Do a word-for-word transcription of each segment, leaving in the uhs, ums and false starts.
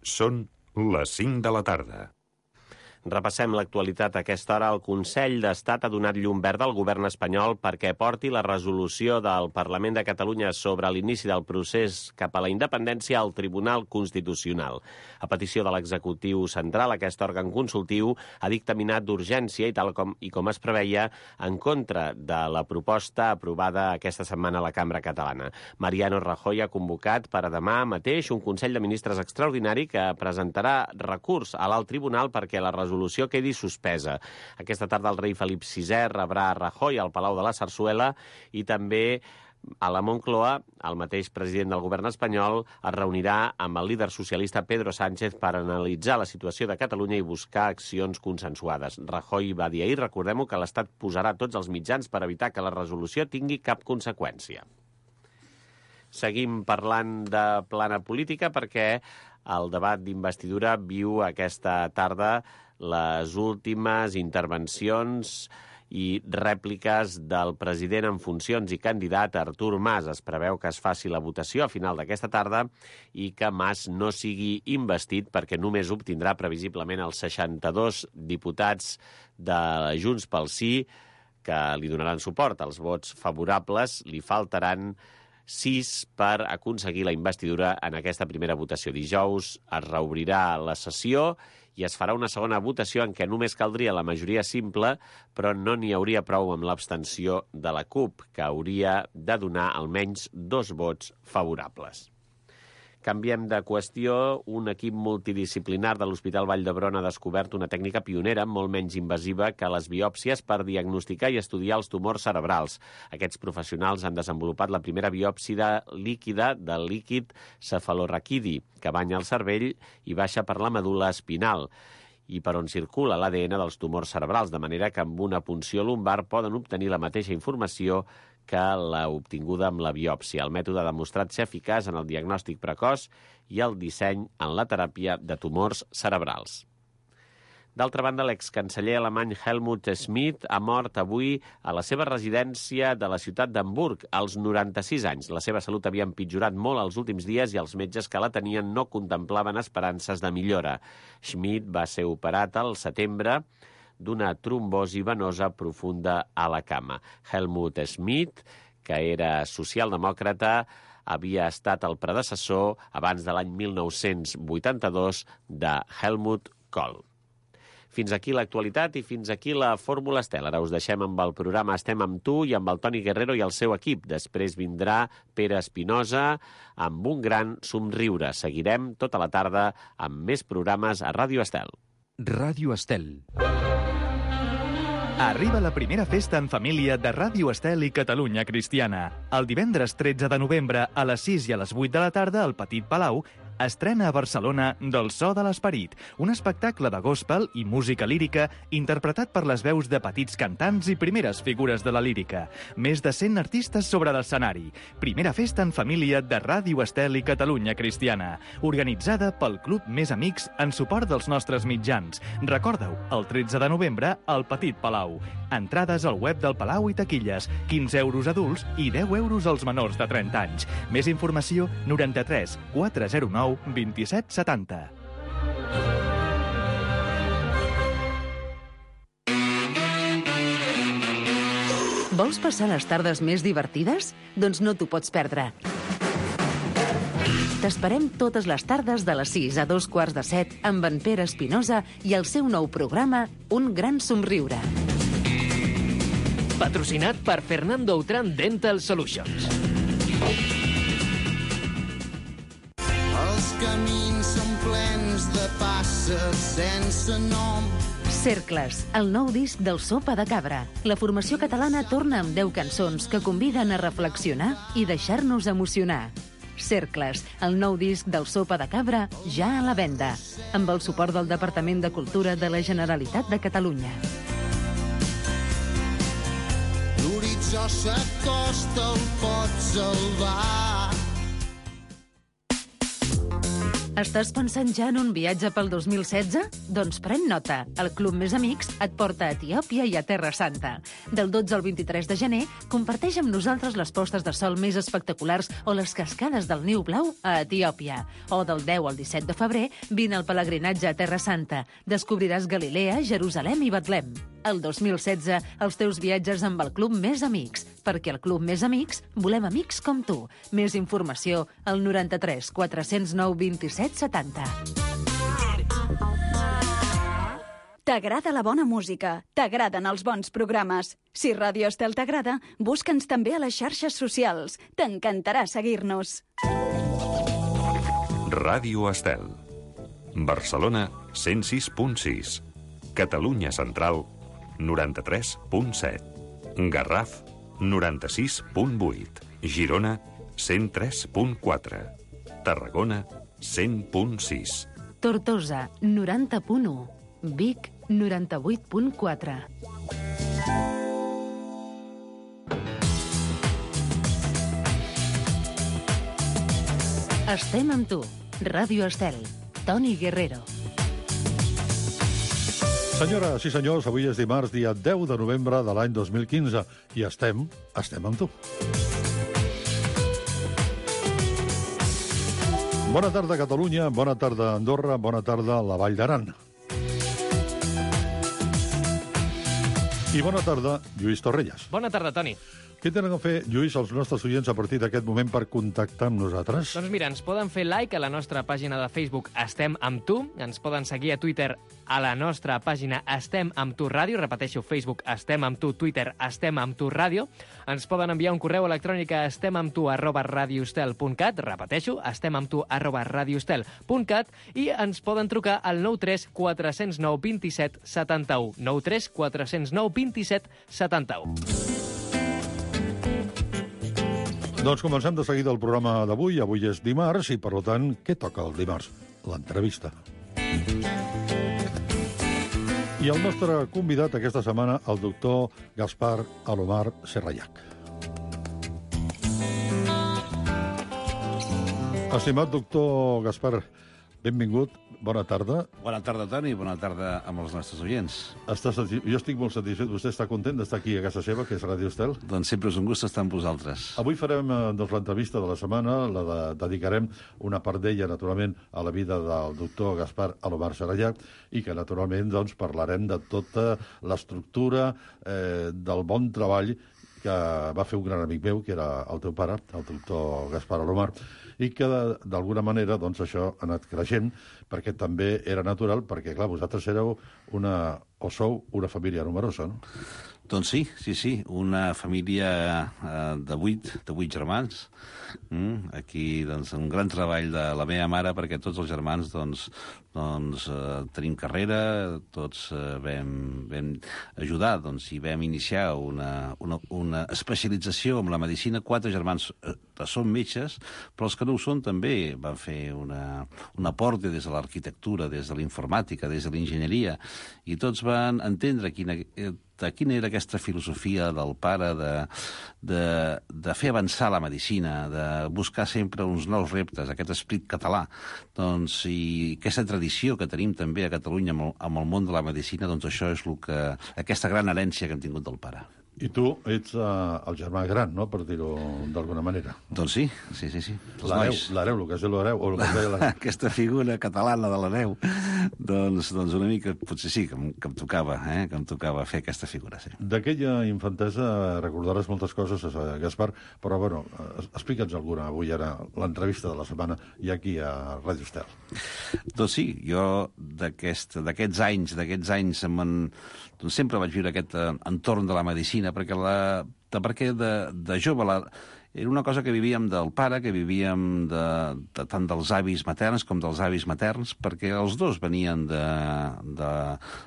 Són les cinc de la tarda. Repassem l'actualitat a aquesta hora. El Consell d'Estat ha donat llum verda al govern espanyol perquè porti la resolució del Parlament de Catalunya sobre l'inici del procés cap a la independència al Tribunal Constitucional. A petició de l'executiu central, aquest òrgan consultiu ha dictaminat d'urgència i tal com, i com es preveia en contra de la proposta aprovada aquesta setmana a la Cambra Catalana. Mariano Rajoy ha convocat per a demà mateix un Consell de Ministres extraordinari que presentarà recurs a l'alt tribunal perquè la resolució resolució quedi suspesa. Aquesta tarda el rei Felip sisè rebrà a Rajoy al Palau de la Sarsuela i també a la Moncloa el mateix president del govern espanyol es reunirà amb el líder socialista Pedro Sánchez per analitzar la situació de Catalunya i buscar accions consensuades. Rajoy va dir ahir, recordem-ho, que l'Estat posarà tots els mitjans per evitar que la resolució tingui cap conseqüència. Seguim parlant de plana política perquè el debat d'investidura viu aquesta tarda les últimes intervencions i rèpliques del president en funcions i candidat Artur Mas. Es preveu que es faci la votació a final d'aquesta tarda i que Mas no sigui investit perquè només obtindrà previsiblement els seixanta-dos diputats de Junts pel Sí que li donaran suport. Els vots favorables li faltaran sis per aconseguir la investidura en aquesta primera votació. Dijous es reobrirà la sessió i es farà una segona votació en què només caldria la majoria simple, però no n'hi hauria prou amb l'abstenció de la CUP, que hauria de donar almenys dos vots favorables. Canviem de qüestió. Un equip multidisciplinar de l'Hospital Vall d'Hebron ha descobert una tècnica pionera molt menys invasiva que les biòpsies per diagnosticar i estudiar els tumors cerebrals. Aquests professionals han desenvolupat la primera biòpsia líquida del líquid cefalorraquidi, que banya el cervell i baixa per la medul·la espinal i per on circula l'A D N dels tumors cerebrals, de manera que amb una punció lumbar poden obtenir la mateixa informació que l'ha obtinguda amb la biòpsia. El mètode ha demostrat ser eficaç en el diagnòstic precoç i el disseny en la teràpia de tumors cerebrals. D'altra banda, l'excanceller alemany Helmut Schmidt ha mort avui a la seva residència de la ciutat d'Hamburg, als noranta-sis anys. La seva salut havia empitjorat molt els últims dies i els metges que la tenien no contemplaven esperances de millora. Schmidt va ser operat al setembre d'una trombosi venosa profunda a la cama. Helmut Schmidt, que era socialdemòcrata, havia estat el predecessor abans de l'any mil nou-cents vuitanta-dos de Helmut Kohl. Fins aquí l'actualitat i fins aquí la Fórmula Estel. Ara us deixem amb el programa Estem amb tu i amb el Toni Guerrero i el seu equip. Després vindrà Pere Espinosa amb un gran somriure. Seguirem tota la tarda amb més programes a Ràdio Estel. Ràdio Estel. Arriba la primera festa en família de Ràdio Estel i Catalunya Cristiana. El divendres tretze de novembre a les sis i a les vuit de la tarda al Petit Palau estrena a Barcelona Del so de l'esperit, un espectacle de gospel i música lírica interpretat per les veus de petits cantants i primeres figures de la lírica. Més de cent artistes sobre l'escenari. Primera festa en família de Ràdio Estel i Catalunya Cristiana, organitzada pel Club Més Amics en suport dels nostres mitjans. Recorda-ho, el tretze de novembre al Petit Palau. Entrades al web del Palau i taquilles, quinze euros adults i deu euros als menors de trenta anys. Més informació, noranta-tres quatre zero nou vint-i-set setanta. Vols passar les tardes més divertides? Doncs no t'ho pots perdre. T'esperem totes les tardes de les sis a dos quarts de set amb en Pere Espinosa i el seu nou programa Un gran somriure. Patrocinat per Fernando Outram Dental Solutions. Els camins són plens de passes sense nom. Cercles, el nou disc del Sopa de Cabra. La formació catalana torna amb deu cançons que conviden a reflexionar i deixar-nos emocionar. Cercles, el nou disc del Sopa de Cabra, ja a la venda, amb el suport del Departament de Cultura de la Generalitat de Catalunya. L'horitzó s'acosta, el pot salvar. Estàs pensant ja en un viatge pel dos mil setze? Doncs pren nota. El Club Més Amics et porta a Etiòpia i a Terra Santa. Del dotze al vint-i-tres de gener, comparteix amb nosaltres les postes de sol més espectaculars o les cascades del Niu Blau a Etiòpia. O del deu al disset de febrer, vine al pelegrinatge a Terra Santa. Descobriràs Galilea, Jerusalem i Betlem. El dos mil setze, els teus viatges amb el Club Més Amics. Perquè al Club Més Amics volem amics com tu. Més informació al noranta-tres quatre-cents nou vint-i-set setanta. T'agrada la bona música, t'agraden els bons programes. Si Ràdio Estel t'agrada, busca'ns també a les xarxes socials. T'encantarà seguir-nos. Ràdio Estel. Barcelona, cent sis punt sis. Catalunya Central, noranta-tres punt set. Garraf, noranta-sis punt vuit. Girona, cent tres punt quatre. Tarragona, cent punt sis. Tortosa, noranta punt u. Vic, noranta-vuit punt quatre. Estem amb tu. Ràdio Estel. Toni Guerrero. Senyores i senyors, avui és dimarts, dia deu de novembre de l'any dos mil quinze, i estem, estem amb tu. Bona tarda, Catalunya, bona tarda, Andorra, bona tarda, la Vall d'Aran. I bona tarda, Lluís Torrelles. Bona tarda, Toni. Què tenen a fer, Lluís, els nostres oients a partir d'aquest moment per contactar amb nosaltres? Doncs mira, ens poden fer like a la nostra pàgina de Facebook Estem amb tu, ens poden seguir a Twitter a la nostra pàgina Estem amb tu ràdio, repeteixo, Facebook Estem amb tu, Twitter Estem amb tu ràdio, ens poden enviar un correu electrònic a estemamtu arroba radiostel punt cat, repeteixo, estemamtu arroba radiostel punt cat, i ens poden trucar al nou tres quatre zero nou dos set set u, nou tres quatre zero nou dos set set u. Doncs comencem de seguida el programa d'avui. Avui és dimarts i, per tant, què toca el dimarts? L'entrevista. I el nostre convidat aquesta setmana, el doctor Gaspar Alomar Serrallach. Estimat doctor Gaspar, benvingut. Bona tarda. Bona tarda, Toni, bona tarda amb els nostres oients. Estàs, jo estic molt satisfet. Vostè està content d'estar aquí a casa seva, que és Ràdio Estel? Doncs sempre és un gust estar amb vosaltres. Avui farem doncs, l'entrevista de la setmana, la de, dedicarem una part d'ella, naturalment, a la vida del doctor Gaspar Alomar Serrallach, i que, naturalment, doncs, parlarem de tota l'estructura eh, del bon treball que va fer un gran amic meu, que era el teu pare, el doctor Gaspar Alomar, i que, d'alguna manera, doncs, això ha anat creixent, perquè també era natural, perquè, clar, vosaltres éreu una, o sou una família numerosa, no? Doncs sí, sí, sí, una família eh, de vuit, de vuit germans. Mm, aquí, doncs, un gran treball de la meva mare, perquè tots els germans, doncs, doncs eh, tenim carrera, tots eh, vam, vam ajudar, doncs, i vam iniciar una, una, una especialització en la medicina. Quatre germans eh, són metges, però els que no ho són també van fer una, un aporte des de l'arquitectura, des de la informàtica, des de l'enginyeria, i tots van entendre quina... Eh, de quina era aquesta filosofia del pare de, de, de fer avançar la medicina, de buscar sempre uns nous reptes, aquest esperit català, doncs, i aquesta tradició que tenim també a Catalunya amb el, amb el món de la medicina, doncs això és el que, aquesta gran herència que hem tingut del pare. I tu ets uh, el germà gran, no?, per dir-ho d'alguna manera. Doncs sí, sí, sí. sí. L'hereu, l'hereu, el que es diu l'hereu, o el que es deia l'hereu. Aquesta figura catalana de l'hereu, doncs, doncs una mica, potser sí, que em, que em tocava, eh? que em tocava fer aquesta figura, sí. D'aquella infantesa recordaràs moltes coses, Gaspar, però, bueno, explica'ns alguna avui, ara, l'entrevista de la setmana, i aquí a Ràdio Estel. Doncs sí, jo d'aquests aquest, anys, d'aquests anys en, doncs sempre vaig viure aquest eh, entorn de la medicina, perquè, la, de, perquè de, de jove la, era una cosa que vivíem del pare, que vivíem de, de, tant dels avis materns com dels avis materns, perquè els dos venien de, de,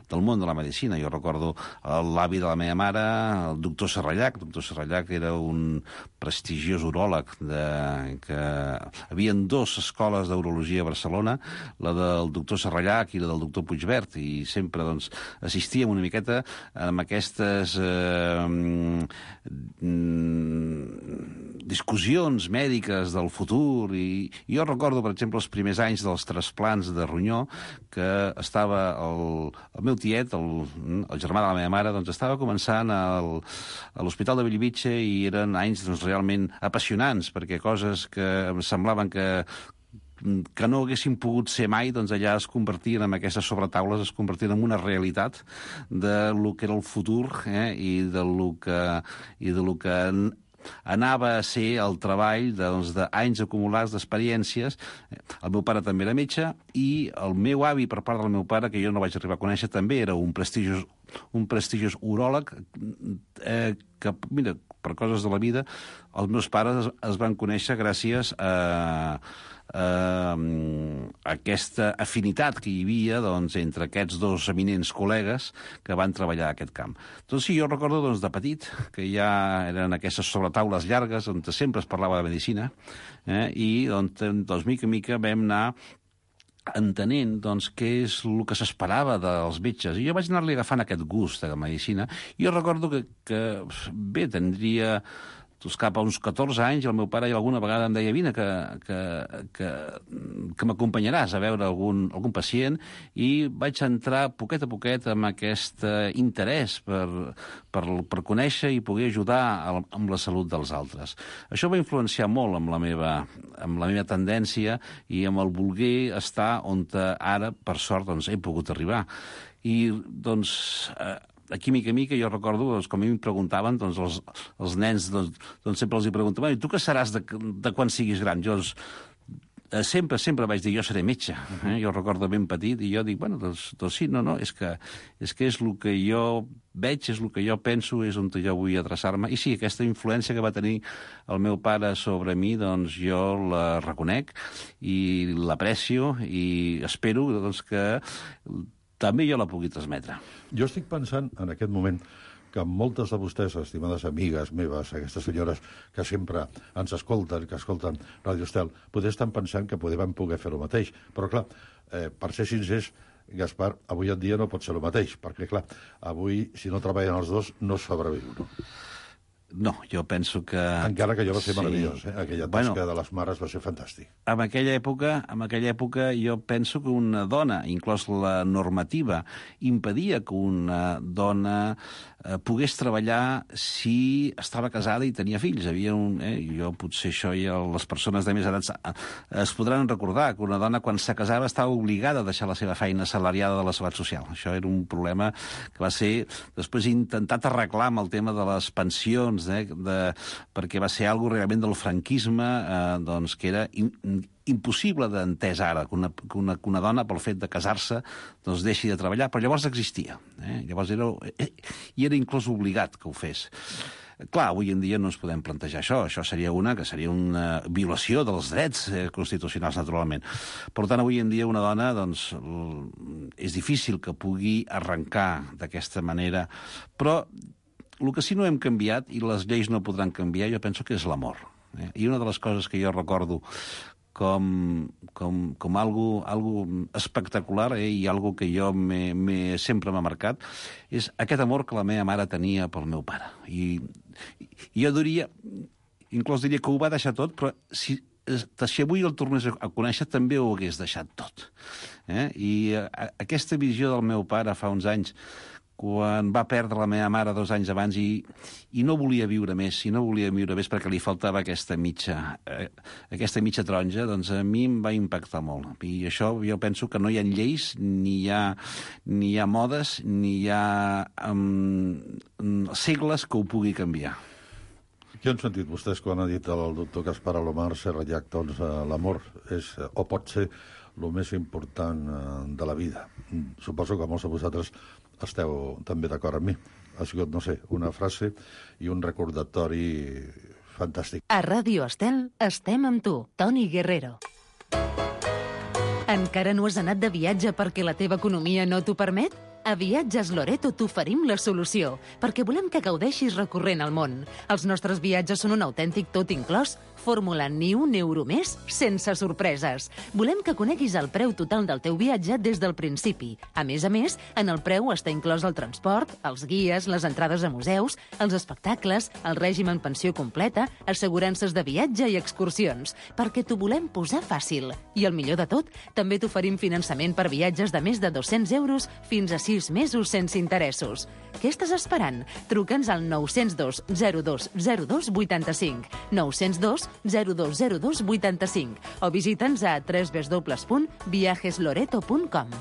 del món de la medicina. Jo recordo l'avi de la meva mare, el doctor Serrallach. El doctor Serrallach era un prestigiós uròleg, de, que hi havia dues escoles d'urologia a Barcelona, la del doctor Serrallach i la del doctor Puigvert, i sempre doncs, assistíem una miqueta amb aquestes... Eh, mm, discussions mèdiques del futur, i jo recordo, per exemple, els primers anys dels trasplants de ronyó, que estava el, el meu tiet, el, el germà de la meva mare, doncs estava començant al, a l'Hospital de Bellvitge, i eren anys doncs, realment apassionants, perquè coses que em semblaven que que no haguessin pogut ser mai, doncs allà es convertien en aquestes sobretaules, es convertien en una realitat de lo que era el futur, eh, i de lo que, i de lo que anava a ser el treball d'anys doncs, acumulats d'experiències. El meu pare també era metge, i el meu avi, per part del meu pare, que jo no vaig arribar a conèixer, també era un prestigiós, un prestigiós uròleg, eh, que, mira, per coses de la vida, els meus pares es, es van conèixer gràcies a Uh, aquesta afinitat que hi havia doncs, entre aquests dos eminents col·legues que van treballar a aquest camp. Doncs sí, jo recordo doncs, de petit que ja eren aquestes sobretaules llargues on sempre es parlava de medicina, eh, i doncs, doncs mica en mica vam anar entenent doncs, què és el que s'esperava dels metges. I jo vaig anar-li agafant aquest gust de la medicina. I jo recordo que, que bé, tindria doncs cap a uns catorze anys, el meu pare alguna vegada em deia vine que, que, que, que m'acompanyaràs a veure algun, algun pacient, i vaig entrar poquet a poquet amb aquest interès per, per, per conèixer i poder ajudar amb la salut dels altres. Això va influenciar molt amb la meva, amb la meva tendència i amb el voler estar on ara, per sort, doncs, he pogut arribar. I, doncs, eh, aquí, mica mica, jo recordo, doncs, com a mi em preguntaven, doncs, els, els nens, doncs, doncs sempre els hi preguntaven, i tu què seràs de, de quan siguis gran? Jo doncs, eh, sempre, sempre vaig dir, jo seré metge. Eh? Jo recordo ben petit, i jo dic, bueno, doncs, doncs sí, no, no, és que, és que és el que jo veig, és el que jo penso, és on jo vull adreçar-me. I sí, aquesta influència que va tenir el meu pare sobre mi, doncs jo la reconec i l'aprecio, i espero doncs, que també jo la pugui transmetre. Jo estic pensant, en aquest moment, que moltes de vostès, estimades amigues meves, aquestes senyores que sempre ens escolten, que escolten Radio Estel, potser estan pensant que podem poder fer el mateix. Però, clar, eh, per ser sincers, Gaspar, avui en dia no pot ser el mateix, perquè, clar, avui, si no treballen els dos, no sobreviu, no? No, jo penso que... Encara que allò va ser sí. meravellós, eh? Aquella tasca bueno, de les mares va ser fantàstic. En aquella època, en aquella època jo penso que una dona, inclòs la normativa, impedia que una dona eh, pogués treballar si estava casada i tenia fills. Havia un, eh, jo potser això i les persones de més edat es podran recordar que una dona quan se casava estava obligada a deixar la seva feina assalariada de la Seguretat Social. Això era un problema que va ser després intentat arreglar amb el tema de les pensions, Eh, de, perquè va ser algo realment del franquisme, eh, doncs, que era in, impossible d'entès ara, que una, que, una, que una dona, pel fet de casar-se, doncs deixi de treballar, però llavors existia. Eh? Llavors era, eh, i era inclús obligat que ho fes. Clar, avui en dia no ens podem plantejar això. Això seria una que seria una violació dels drets eh, constitucionals, naturalment. Per tant, avui en dia una dona, doncs, és difícil que pugui arrencar d'aquesta manera, però el que sí no hem canviat, i les lleis no podran canviar, jo penso que és l'amor. Eh? I una de les coses que jo recordo com, com, com algo, algo espectacular, eh? I algo que jo me, me, sempre m'ha marcat, és aquest amor que la meva mare tenia pel meu pare. I, i jo diria, inclús diria que ho va deixar tot, però si, si avui el tornés a conèixer també ho hagués deixat tot. Eh? I a, aquesta visió del meu pare fa uns anys, quan va perdre la meva mare dos anys abans i, i no volia viure més, i no volia viure més perquè li faltava aquesta mitja, eh, aquesta mitja taronja, doncs a mi em va impactar molt. I això jo penso que no hi ha lleis, ni hi ha, ni hi ha modes, ni hi ha um, segles que ho pugui canviar. Què han sentit vostès quan ha dit el doctor Gaspar Alomar Serrallach? Doncs l'amor és, o pot ser, el més important de la vida. Suposo que molts de vosaltres esteu també d'acord amb mi. Ha sigut, no sé, una frase i un recordatori fantàstic. A Ràdio Estel estem amb tu, Toni Guerrero. Encara no has anat de viatge perquè la teva economia no t'ho permet? A Viatges Loreto t'oferim la solució, perquè volem que gaudeixis recorrent el món. Els nostres viatges són un autèntic tot inclòs, fórmula ni un euro més sense sorpreses. Volem que coneguis el preu total del teu viatge des del principi. A més a més, en el preu està inclòs el transport, els guies, les entrades a museus, els espectacles, el règim en pensió completa, assegurances de viatge i excursions, perquè t'ho volem posar fàcil. I el millor de tot, també t'oferim finançament per viatges de més de dos-cents euros fins a sis mesos sense interessos. Què estàs esperant? Truca'ns al nou zero dos zero dos zero dos vuitanta-cinc, nou zero dos zero dos zero dos vuitanta-cinc o visita'ns a w w w punt viajes loreto punt com.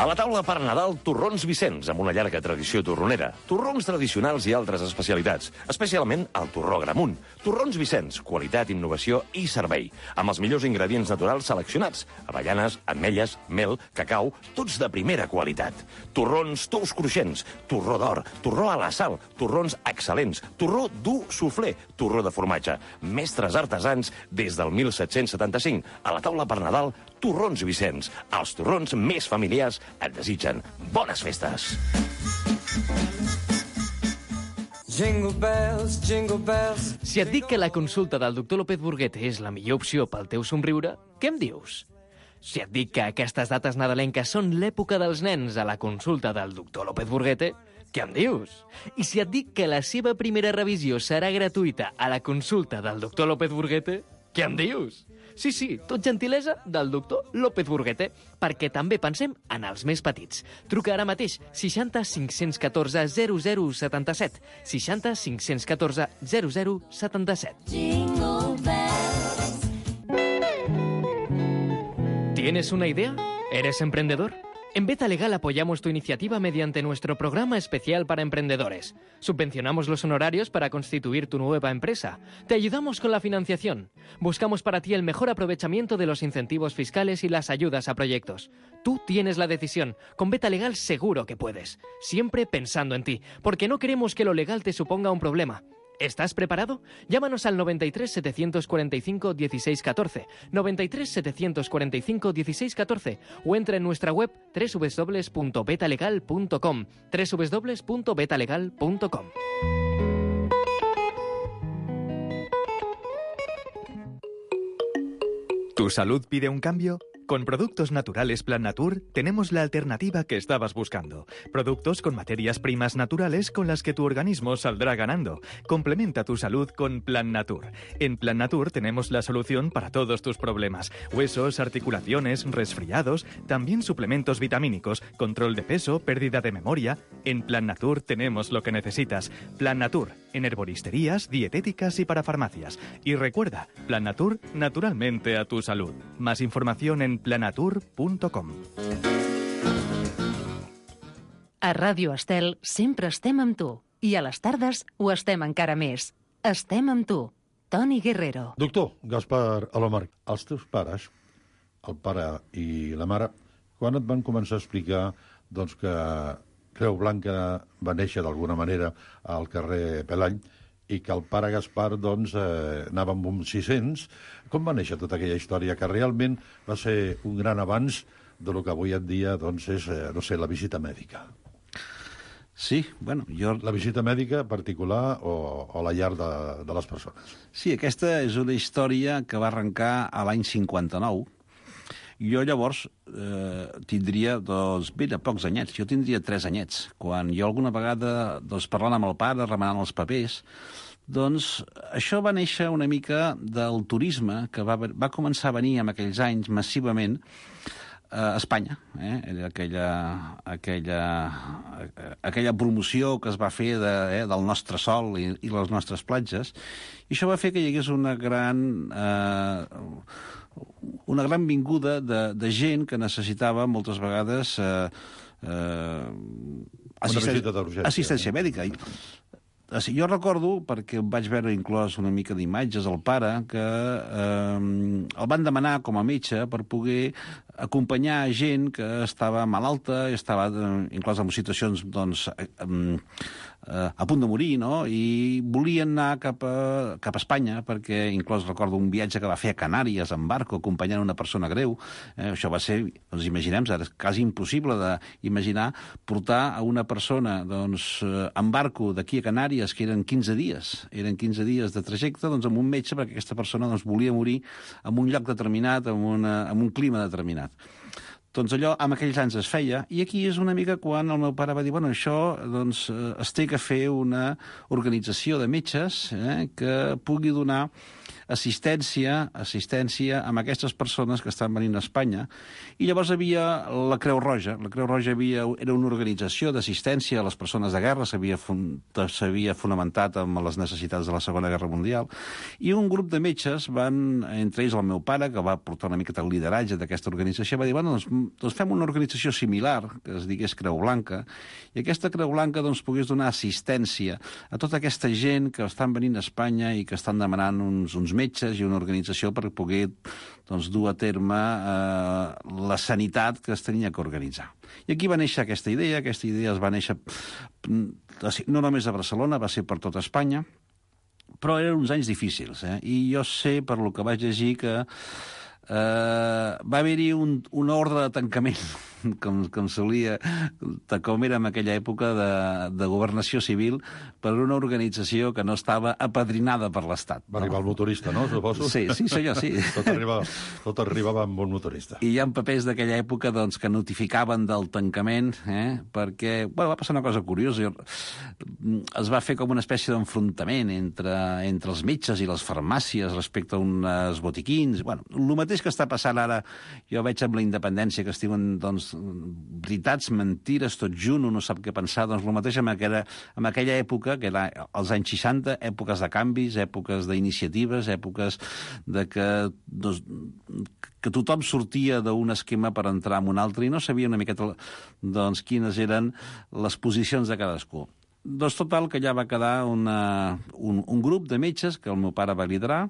A la taula per Nadal, torrons Vicenç, amb una llarga tradició torronera. Torrons tradicionals i altres especialitats, especialment el torró Gramunt. Torrons Vicenç, qualitat, innovació i servei, amb els millors ingredients naturals seleccionats. Avellanes, ametlles, mel, cacau, tots de primera qualitat. Torrons tous cruixents, torró d'or, torró a la sal, torrons excel·lents, torró dur suflé, torró de formatge. Mestres artesans des del mil set-cents setanta-cinc. A la taula per Nadal, torrons Vicenç. Els torrons més familiars et desitgen bones festes. Jingle bells, jingle bells. Si et dic que la consulta del doctor López Burguete és la millor opció pel teu somriure, què em dius? Si et dic que aquestes dates nadalenques són l'època dels nens a la consulta del doctor López Burguete, què em dius? I si et dic que la seva primera revisió serà gratuïta a la consulta del doctor López Burguete, què em dius? Sí, sí, tot gentilesa del doctor López Burguete, perquè també pensem en els més petits. Truca ara mateix seixanta cinc-cents catorze zero zero setanta-set, seixanta cinc-cents catorze zero zero setanta-set. Jingle bells. ¿Tienes una idea? ¿Eres emprendedor? En Beta Legal apoyamos tu iniciativa mediante nuestro programa especial para emprendedores. Subvencionamos los honorarios para constituir tu nueva empresa. Te ayudamos con la financiación. Buscamos para ti el mejor aprovechamiento de los incentivos fiscales y las ayudas a proyectos. Tú tienes la decisión. Con Beta Legal seguro que puedes. Siempre pensando en ti, porque no queremos que lo legal te suponga un problema. ¿Estás preparado? Llámanos al noventa y tres, setecientos cuarenta y cinco, dieciséis catorce, noventa y tres, setecientos cuarenta y cinco, dieciséis catorce o entra en nuestra web doble u doble u doble u punto betalegal punto com, doble u doble u doble u punto betalegal punto com. ¿Tu salud pide un cambio? Con Productos Naturales Plan Natur tenemos la alternativa que estabas buscando. Productos con materias primas naturales con las que tu organismo saldrá ganando. Complementa tu salud con Plan Natur. En Plan Natur tenemos la solución para todos tus problemas. Huesos, articulaciones, resfriados, también suplementos vitamínicos, control de peso, pérdida de memoria. En Plan Natur tenemos lo que necesitas. Plan Natur, en herboristerías, dietéticas y para farmacias. Y recuerda, Plan Natur, naturalmente a tu salud. Más información en planatur punto com. A Ràdio Estel sempre estem amb tu. I a les tardes ho estem encara més. Estem amb tu. Toni Guerrero. Doctor Gaspar Alomar, els teus pares, el pare i la mare, quan et van començar a explicar doncs, que Creu Blanca va néixer d'alguna manera al carrer Pelany i que el pare Gaspar doncs, eh, anava amb uns sis-cents. Com va néixer tota aquella història que realment va ser un gran avanç de lo que avui en dia doncs, és, eh, no sé, la visita mèdica? Sí, bueno, jo... La visita mèdica particular o, o la llar de, de les persones? Sí, aquesta és una història que va arrencar a l'any cinquanta-nou. Jo llavors eh, tindria doncs, ben a pocs anyets, jo tindria tres anyets. Quan jo alguna vegada, doncs, parlant amb el pare, remenant els papers, doncs això va néixer una mica del turisme que va, va començar a venir en aquells anys massivament a Espanya. Eh? Era aquella, aquella, aquella promoció que es va fer de, eh, del nostre sol i, i les nostres platges, i això va fer que hi hagués una gran... Eh, una gran vinguda de, de gent que necessitava moltes vegades eh, eh, assisten assistència mèdica. I, jo recordo, perquè em vaig veure inclòs una mica d'imatges al pare, que eh, el van demanar com a metge per poder acompanyar gent que estava malalta, estava eh, inclòs en situacions doncs, eh, eh, a punt de morir, no? I volien anar cap a, cap a Espanya, perquè inclús recordo un viatge que va fer a Canàries en barco, acompanyant una persona greu. Eh, això va ser, doncs imaginem, ara és quasi impossible d'imaginar portar a una persona doncs, en barco d'aquí a Canàries, que eren quinze dies, eren quinze dies de trajecte, doncs amb un metge, perquè aquesta persona doncs, volia morir en un lloc determinat, en, una, en un clima determinat. Doncs allò en aquells anys es feia, i aquí és una mica quan el meu pare va dir, bueno, això doncs, es té que fer una organització de metges eh, que pugui donar assistència, assistència amb aquestes persones que estan venint a Espanya. I llavors havia la Creu Roja. La Creu Roja havia, era una organització d'assistència a les persones de guerra, s'havia s'havia fonamentat amb les necessitats de la Segona Guerra Mundial, i un grup de metges van, entre ells el meu pare, que va portar una miqueta el lideratge d'aquesta organització, va dir, bueno, doncs, doncs fem una organització similar, que es digués Creu Blanca, i aquesta Creu Blanca doncs, pogués donar assistència a tota aquesta gent que estan venint a Espanya i que estan demanant uns, uns metges i una organització per poder doncs, dur a terme eh, la sanitat que es tenia que organitzar. I aquí va néixer aquesta idea, aquesta idea es va néixer no només a Barcelona, va ser per tota Espanya, però eren uns anys difícils, eh? I jo sé, per lo que vaig llegir, que eh, va haver-hi un, un ordre de tancament, com, com solia, com era en aquella època de, de governació civil, per una organització que no estava apadrinada per l'Estat. Va arribar el motorista, no, suposo? Sí, sí, senyor, sí. Tot arribava, tot arribava amb un motorista. I hi ha papers d'aquella època doncs, que notificaven del tancament, eh, perquè bueno, va passar una cosa curiosa. Es va fer com una espècie d'enfrontament entre, entre els metges i les farmàcies respecte a uns botiquins. Bueno, el mateix que està passant ara, jo veig amb la independència, que es diuen doncs, veritats, mentires, tot junt, no sap què pensar, doncs el mateix amb aquella, amb aquella època, que era els anys seixanta, èpoques de canvis, èpoques d'iniciatives, èpoques de que, doncs, que tothom sortia d'un esquema per entrar en un altre i no sabia una miqueta doncs, quines eren les posicions de cadascú. Doncs total, que ja va quedar una, un, un grup de metges que el meu pare va liderar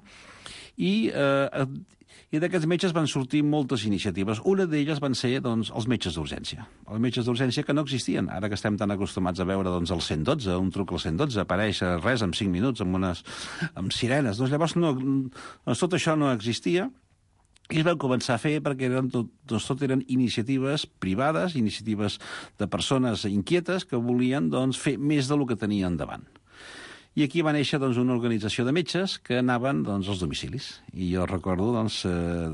i... Eh, I d'aquests metges van sortir moltes iniciatives. Una d'elles van ser doncs, els metges d'urgència. Els metges d'urgència que no existien. Ara que estem tan acostumats a veure doncs, el cent dotze, un truc al cent dotze, apareix res en cinc minuts, amb, unes, amb sirenes. Doncs llavors no, doncs, tot això no existia i es van començar a fer perquè eren tot, doncs, tot eren iniciatives privades, iniciatives de persones inquietes que volien doncs, fer més del que tenien davant. I aquí va néixer doncs, una organització de metges que anaven doncs, als domicilis. I jo recordo doncs, eh,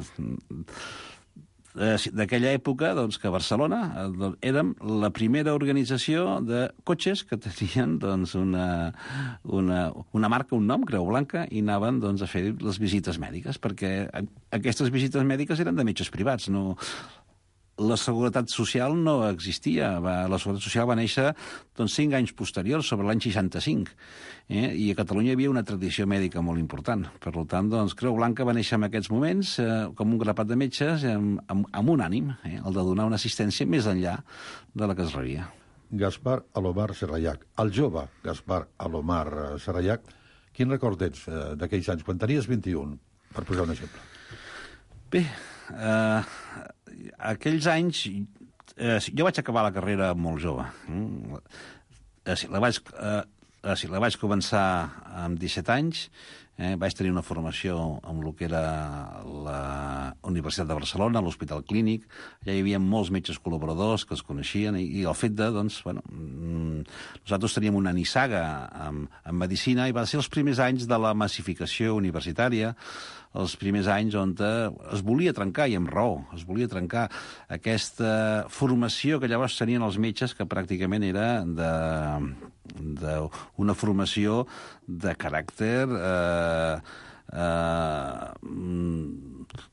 d'aquella època doncs, que a Barcelona eh, érem la primera organització de cotxes que tenien doncs, una, una, una marca, un nom, Creu Blanca, i anaven doncs, a fer les visites mèdiques, perquè aquestes visites mèdiques eren de metges privats, no... La Seguretat Social no existia. Va, la Seguretat Social va néixer doncs, cinc anys posteriors, sobre l'any seixanta-cinc. Eh? I a Catalunya hi havia una tradició mèdica molt important. Per tant, doncs, Creu Blanca va néixer en aquests moments eh, com un grapat de metges amb, amb, amb un ànim, eh? el de donar una assistència més enllà de la que es rebia. Gaspar Alomar Serrallac, el jove Gaspar Alomar Serrallac, quin record tens eh, d'aquells anys, quan tenies vint-i-un, per posar un exemple? Bé, eh, aquells anys... Eh, jo vaig acabar la carrera molt jove. Eh, la, vaig, eh, la vaig començar amb disset anys, eh, vaig tenir una formació amb el que era la Universitat de Barcelona, l'Hospital Clínic. Ja hi havia molts metges col·laboradors que es coneixien i, i el fet de, doncs, bueno, nosaltres teníem una nissaga en, en medicina i va ser els primers anys de la massificació universitària, els primers anys on es volia trencar, i amb raó, es volia trencar aquesta formació que llavors tenien els metges, que pràcticament era de, de una formació de caràcter eh, eh,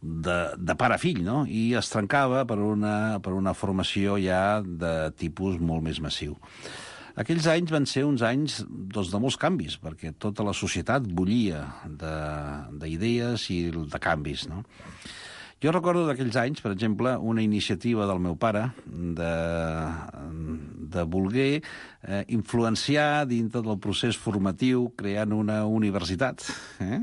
de, de pare a fill, no? I es trencava per una, per una formació ja de tipus molt més massiu. Aquells anys van ser uns anys doncs, de molts canvis, perquè tota la societat bullia d'idees i de canvis, no? Jo recordo d'aquells anys, per exemple, una iniciativa del meu pare de, de voler eh, influenciar dintre del procés formatiu creant una universitat, eh?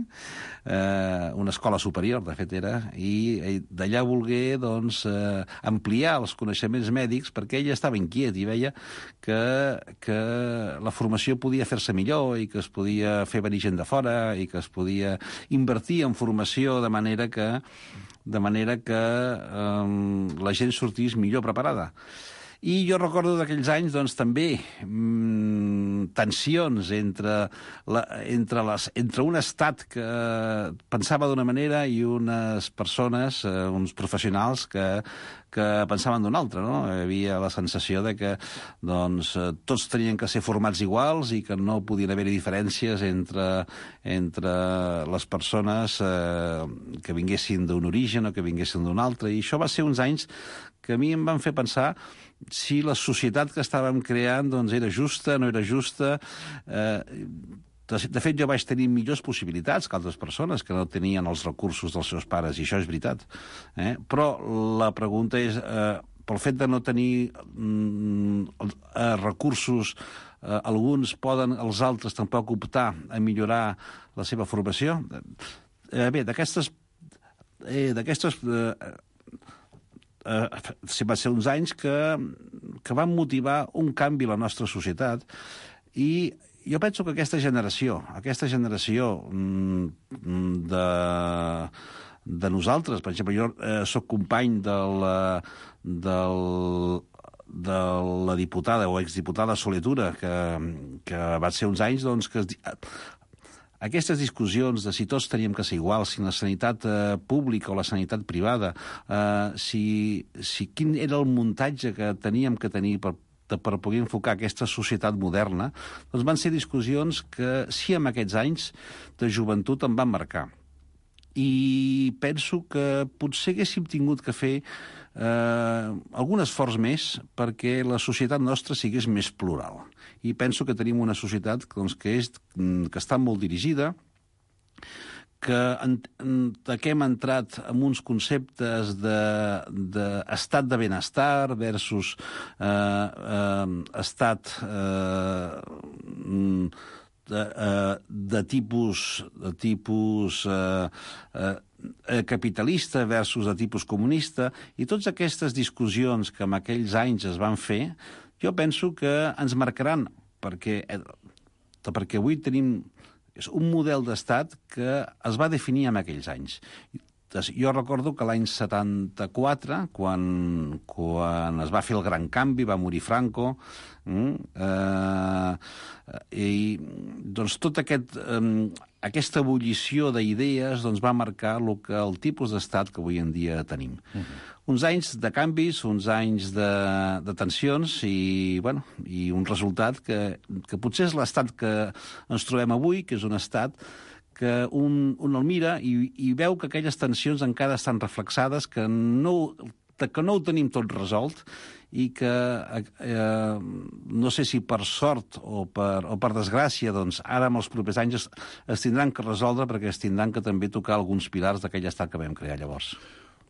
Eh, una escola superior, de fet era, i d'allà voler doncs, eh, ampliar els coneixements mèdics perquè ell estava inquiet i veia que, que la formació podia fer-se millor i que es podia fer venir gent de fora i que es podia invertir en formació de manera que de manera que eh, la gent sortís millor preparada. I jo recordo d'aquells anys, doncs, també mmm, tensions entre, la, entre, les, entre un estat que pensava d'una manera i unes persones, eh, uns professionals que, que pensaven d'una altra, no? Hi havia la sensació de que doncs, tots tenien que ser formats iguals i que no podien haver-hi diferències entre, entre les persones eh, que vinguessin d'un origen o que vinguessin d'un altre. I això va ser uns anys que a mi em van fer pensar si la societat que estàvem creant doncs, era justa, no era justa. Eh, de, de fet, jo vaig tenir millors possibilitats que altres persones que no tenien els recursos dels seus pares, i això és veritat. Eh? Però la pregunta és, eh, pel fet de no tenir mm, eh, recursos, eh, alguns poden, els altres tampoc optar a millorar la seva formació? Eh, bé, d'aquestes... Eh, d'aquestes eh, Uh, va ser uns anys que, que van motivar un canvi a la nostra societat i jo penso que aquesta generació, aquesta generació mm, de, de nosaltres, per exemple, jo eh, soc company de la, del, de la diputada o exdiputada Soletura, que, que va ser uns anys doncs, que es, aquestes discussions de si tots teníem que ser iguals, si la sanitat eh, pública o la sanitat privada, eh, si, si quin era el muntatge que teníem que tenir per, per poder enfocar aquesta societat moderna, doncs van ser discussions que sí, en aquests anys de joventut em van marcar. I penso que potser haguéssim tingut que fer eh, algun esforç més perquè la societat nostra sigués més plural. I penso que tenim una societat doncs, que, és, que està molt dirigida, que, en, que hem entrat en uns conceptes d'estat de, de benestar versus eh, eh, estat eh, de, eh, de tipus, de tipus eh, eh, capitalista versus de tipus comunista, i totes aquestes discussions que en aquells anys es van fer, jo penso que ens marcaran, perquè, perquè avui tenim és un model d'estat que es va definir en aquells anys. Jo recordo que l'any setanta-quatre, quan, quan es va fer el gran canvi, va morir Franco, eh, i doncs tot aquest, eh, aquesta ebullició d'idees doncs, va marcar el, que, el tipus d'estat que avui en dia tenim. Uh-huh. Uns anys de canvis, uns anys de, de tensions i, bueno, i un resultat que, que potser és l'estat que ens trobem avui, que és un estat que un, un el mira i, i veu que aquelles tensions encara estan reflexades, que no, que no ho tenim tot resolt i que, eh, no sé si per sort o per, o per desgràcia, doncs ara en els propers anys es, es tindran que resoldre perquè es tindran que també tocar alguns pilars d'aquell estat que vam crear llavors.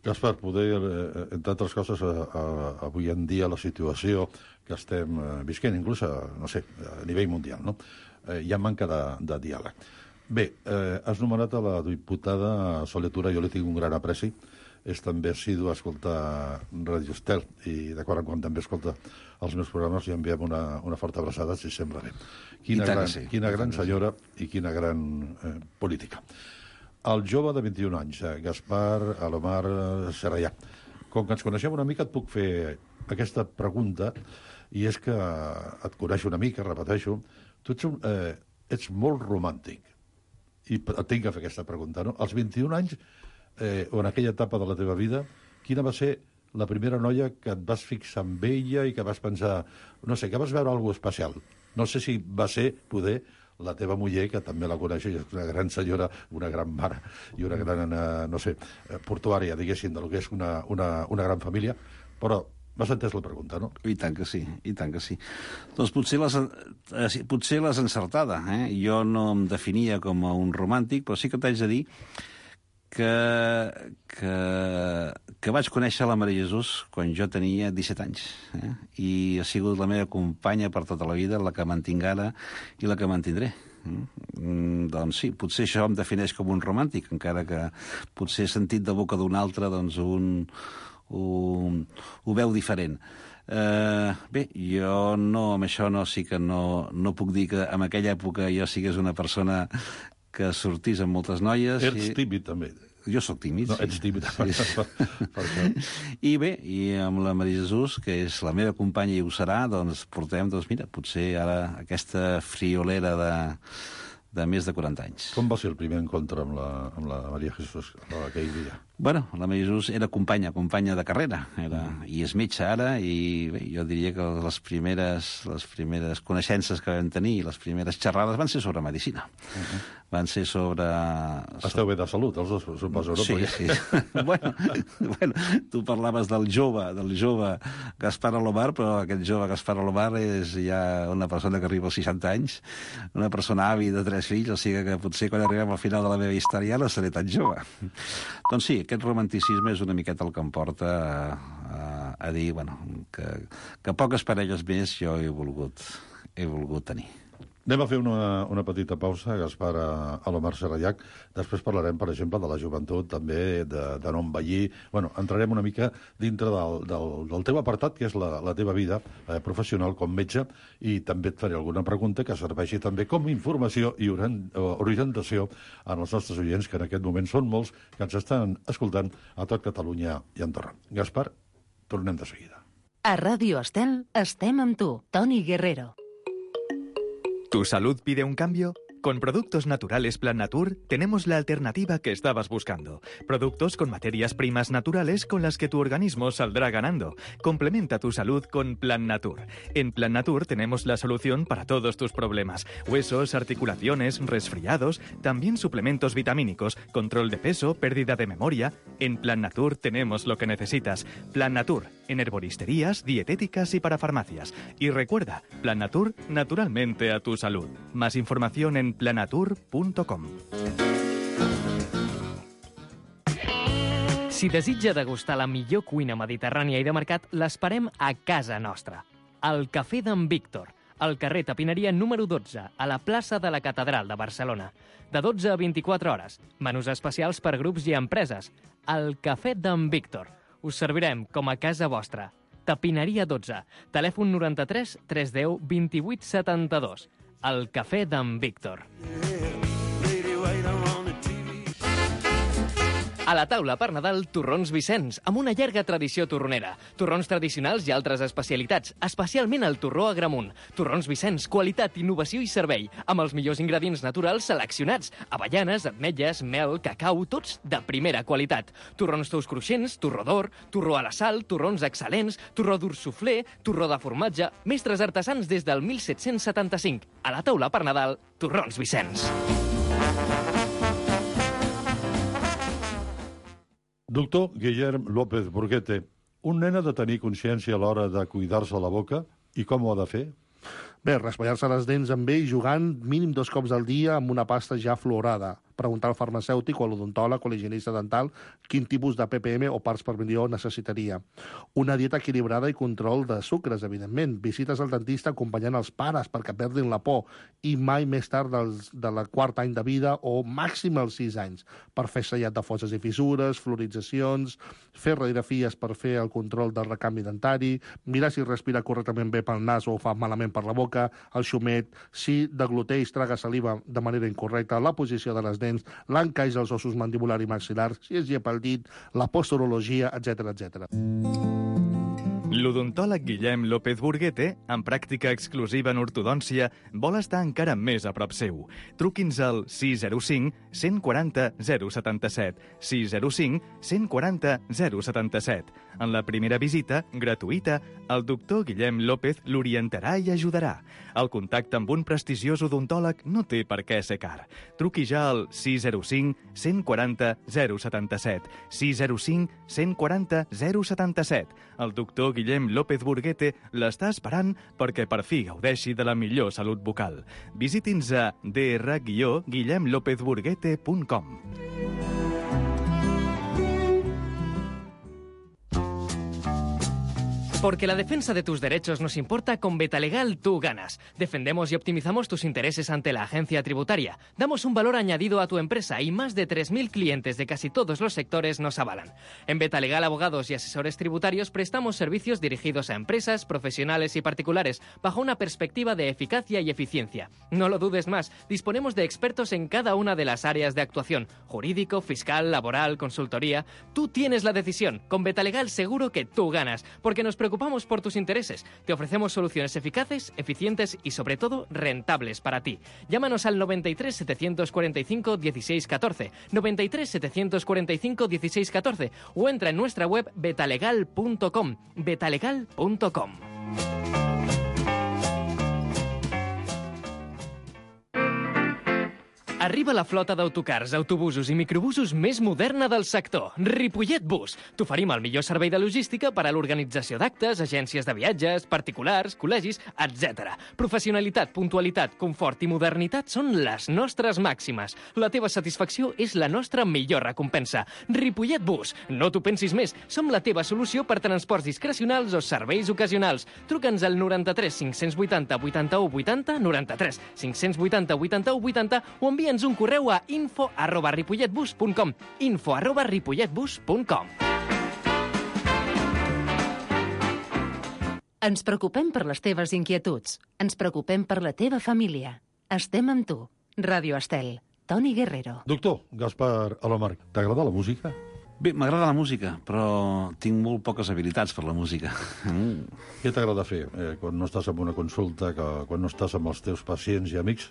Gaspar, poder, eh, entre altres coses, a, a, avui en dia la situació que estem eh, visquent, inclús a, no sé, a nivell mundial, no? Eh, hi ha manca de, de diàleg. Bé, eh, has nomenat a la diputada Soletura, jo li tinc un gran apreci, és també assidu a escoltar Ràdio Estel, i de quan en quan també escolta els meus programes, i enviem una, una forta abraçada, si sembla bé. Quina gran, sí. quina gran senyora i quina gran eh, política. El jove de vint-i-un anys, Gaspar Alomar Serrallà. Com que ens coneixem una mica, et puc fer aquesta pregunta, i és que et coneixo una mica, repeteixo, tu ets, un, eh, ets molt romàntic, i et tinc que fer aquesta pregunta, no? Als vint-i-un anys, eh, o en aquella etapa de la teva vida, quina va ser la primera noia que et vas fixar en ella i que vas pensar, no sé, que vas veure alguna cosa especial? No sé si va ser, poder, la teva muller, que també la coneixes, és una gran senyora, una gran mare i una gran, no sé, portuària, diguéssim, del que és una, una, una gran família, però m'has entès la pregunta, no? I tant que sí, i tant que sí. Doncs potser l'has, potser l'has encertada, eh? Jo no em definia com a un romàntic, però sí que t'haig de dir que, que que vaig conèixer la Maria Jesús quan jo tenia disset anys. Eh? I ha sigut la meva companya per tota la vida, la que mantinc ara i la que mantindré. Mm, doncs sí, potser això em defineix com un romàntic, encara que potser sentit de boca d'un altre doncs un, un, ho veu diferent. Uh, bé, jo no, amb això no, sí que no, no puc dir que en aquella època jo sigués una persona que sortís amb moltes noies. Ets i... tímid, també. Jo sóc tímid, no, sí. Ets tímid, sí. per, per això. I bé, i amb la Maria Jesús, que és la meva companya i ho serà, doncs portem, doncs mira, potser ara aquesta friolera de, de més de quaranta anys. Com va ser el primer encontre amb la, amb la Maria Jesús aquell dia? Bueno, la Maria Jesús era companya, companya de carrera, era, i és metge ara, i bé, jo diria que les primeres, les primeres coneixences que vam tenir, les primeres xerrades van ser sobre medicina. Uh-huh. Van ser sobre... Esteu bé de salut, els dos, suposo, no? Sí, sí. bueno, bueno, tu parlaves del jove, del jove Gaspar Alomar, però aquest jove Gaspar Alomar és ja una persona que arriba als seixanta anys, una persona avi de tres fills, o sigui que potser quan arribem al final de la meva història no seré tan jove. Doncs sí, aquest romanticisme és una miqueta el que em porta a, a, a dir, bueno, que, que poques parelles més jo he volgut, he volgut tenir. Anem a fer una, una petita pausa, Gaspar Alomar Serrallac. Després parlarem, per exemple, de la joventut, també, de, de no envellir. Bueno, entrarem una mica dintre del, del, del teu apartat, que és la, la teva vida eh, professional com metge, i també et faré alguna pregunta que serveixi també com informació i orientació als nostres oients, que en aquest moment són molts, que ens estan escoltant a tot Catalunya i Andorra. Gaspar, tornem de seguida. A Ràdio Estel estem amb tu, Toni Guerrero. ¿Tu salud pide un cambio? Con Productos Naturales Plan Natur tenemos la alternativa que estabas buscando. Productos con materias primas naturales con las que tu organismo saldrá ganando. Complementa tu salud con Plan Natur. En Plan Natur tenemos la solución para todos tus problemas. Huesos, articulaciones, resfriados, también suplementos vitamínicos, control de peso, pérdida de memoria. En Plan Natur tenemos lo que necesitas. Plan Natur, en herboristerías, dietéticas y para farmacias. Y recuerda, Plan Natur, naturalmente a tu salud. Más información en planatur punt com. Si desitja degustar la millor cuina mediterrània i de mercat, l'esperem a casa nostra. Al Cafè d'en Víctor, al carrer Tapineria número dotze, a la plaça de la Catedral de Barcelona. De dotze a vint-i-quatre hores. Menús especials per grups i empreses. Al Cafè d'en Víctor. Us servirem com a casa vostra. Tapineria dotze. Telèfon noranta-tres tres deu vint-i-vuit setanta-dos. El Cafè d'en Víctor. A la taula per Nadal, torrons Vicenç, amb una llarga tradició torronera. Torrons tradicionals i altres especialitats, especialment el torró Agramunt. Torrons Vicenç, qualitat, innovació i servei, amb els millors ingredients naturals seleccionats. Avellanes, ametlles, mel, cacau, tots de primera qualitat. Torrons tous cruixents, torró d'or, torró a la sal, torrons excel·lents, torró dur suflé, torró de formatge, mestres artesans des del mil set-cents setanta-cinc. A la taula per Nadal, torrons Vicenç. Doctor Guillem López Burguete, un nen ha de tenir consciència a l'hora de cuidar-se la boca i com ho ha de fer? Bé, raspallar-se les dents amb ell jugant mínim dos cops al dia amb una pasta ja fluorada. Preguntar al farmacèutic o a l'odontòleg o a l'higienista dental quin tipus de P P M o parts per milió necessitaria. Una dieta equilibrada i control de sucres, evidentment. Visites al dentista acompanyant els pares perquè perdin la por i mai més tard dels, de la quart any de vida o màxim als sis anys per fer sellat de fosses i fissures, fluoritzacions, fer radiografies per fer el control del recanvi dentari, mirar si respira correctament bé pel nas o fa malament per la boca, el xumet, si degluteix, traga saliva de manera incorrecta, la posició de les dents, l'encaix dels ossos mandibular i maxil·lar, si es llepa el dit, la posturologia, etcètera, etcètera. L'odontòleg Guillem López Burguete, amb pràctica exclusiva en ortodòncia, vol estar encara més a prop seu. Truqui'ns al sis zero cinc, cent quaranta, zero setanta-set, sis zero cinc, cent quaranta, zero setanta-set. En la primera visita, gratuïta, el doctor Guillem López l'orientarà i ajudarà. El contacte amb un prestigiós odontòleg no té per què ser car. Truqui ja al sis zero cinc, cent quaranta, zero setanta-set, sis zero cinc, cent quaranta, zero setanta-set. El doctor Guillem López Burguete l'està esperant perquè per fi gaudeixi de la millor salut bucal. Visiti'ns a d r guillem lópez burguete punt com. Porque la defensa de tus derechos nos importa, con Betalegal tú ganas. Defendemos y optimizamos tus intereses ante la agencia tributaria. Damos un valor añadido a tu empresa y más de tres mil clientes de casi todos los sectores nos avalan. En Betalegal Abogados y Asesores Tributarios prestamos servicios dirigidos a empresas, profesionales y particulares bajo una perspectiva de eficacia y eficiencia. No lo dudes más, disponemos de expertos en cada una de las áreas de actuación: jurídico, fiscal, laboral, consultoría. Tú tienes la decisión. Con Betalegal seguro que tú ganas, porque nos preocupamos por tus intereses. Te ofrecemos soluciones eficaces, eficientes y, sobre todo, rentables para ti. Llámanos al noventa y tres, setecientos cuarenta y cinco, dieciséis catorce, noventa y tres, setecientos cuarenta y cinco, dieciséis catorce o entra en nuestra web betalegal punto com. betalegal punto com. Arriba la flota d'autocars, autobusos i microbusos més moderna del sector. Ripollet Bus. T'oferim el millor servei de logística per a l'organització d'actes, agències de viatges, particulars, col·legis, etcètera. Professionalitat, puntualitat, confort i modernitat són les nostres màximes. La teva satisfacció és la nostra millor recompensa. Ripollet Bus. No t'ho pensis més. Som la teva solució per transports discrecionals o serveis ocasionals. Truca'ns al noranta-tres, cinc-cents vuitanta, vuitanta-u vuitanta, noranta-tres, cinc-cents vuitanta, vuitanta-u vuitanta o envia Envia'ns un correu a info arroba ripolletbus punt com. info arroba ripolletbus punt com. Ens preocupem per les teves inquietuds. Ens preocupem per la teva família. Estem amb tu. Ràdio Estel. Toni Guerrero. Doctor Gaspar Alomar, t'agrada la música? Bé, m'agrada la música, però tinc molt poques habilitats per la música. Mm. Què t'agrada fer eh, quan no estàs en una consulta, que, quan no estàs amb els teus pacients i amics?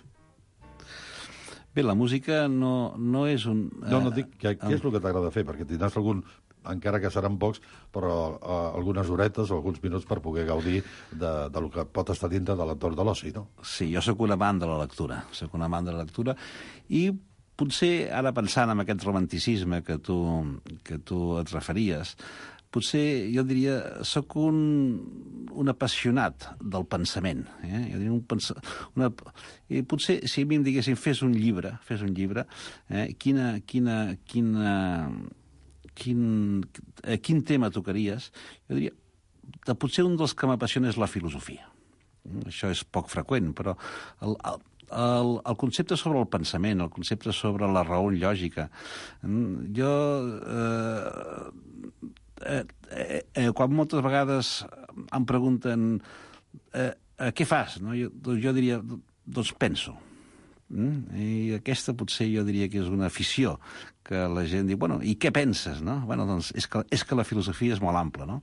Bé, la música no, no és un... No, no dic, què, què és el que t'agrada fer? Perquè tindràs algun, encara que seran pocs, però uh, algunes horetes o alguns minuts per poder gaudir de, de lo que pot estar dintre de l'entorn de l'oci, no? Sí, jo sóc un amant de la lectura, sóc un amant de la lectura, i potser, ara pensant en aquest romanticisme que tu, que tu et referies, potser jo diria, sóc un, un apassionat del pensament. Eh? Jo diria un pens... una... I potser, si a mi em diguessin, fes un llibre, fes un llibre, eh? quina, quina, quina, quin, eh, quin tema tocaries, jo diria, que potser un dels que m'apassiona és la filosofia. Això és poc freqüent, però el, el, el, el concepte sobre el pensament, el concepte sobre la raó lògica, jo... Eh, Eh, eh, eh, quan moltes vegades em pregunten eh, eh, què fas, no? jo, jo diria, doncs penso. Mm? I aquesta potser jo diria que és una afició, que la gent diu, bueno, i què penses? No? Bueno, doncs és que, és que la filosofia és molt ampla, no?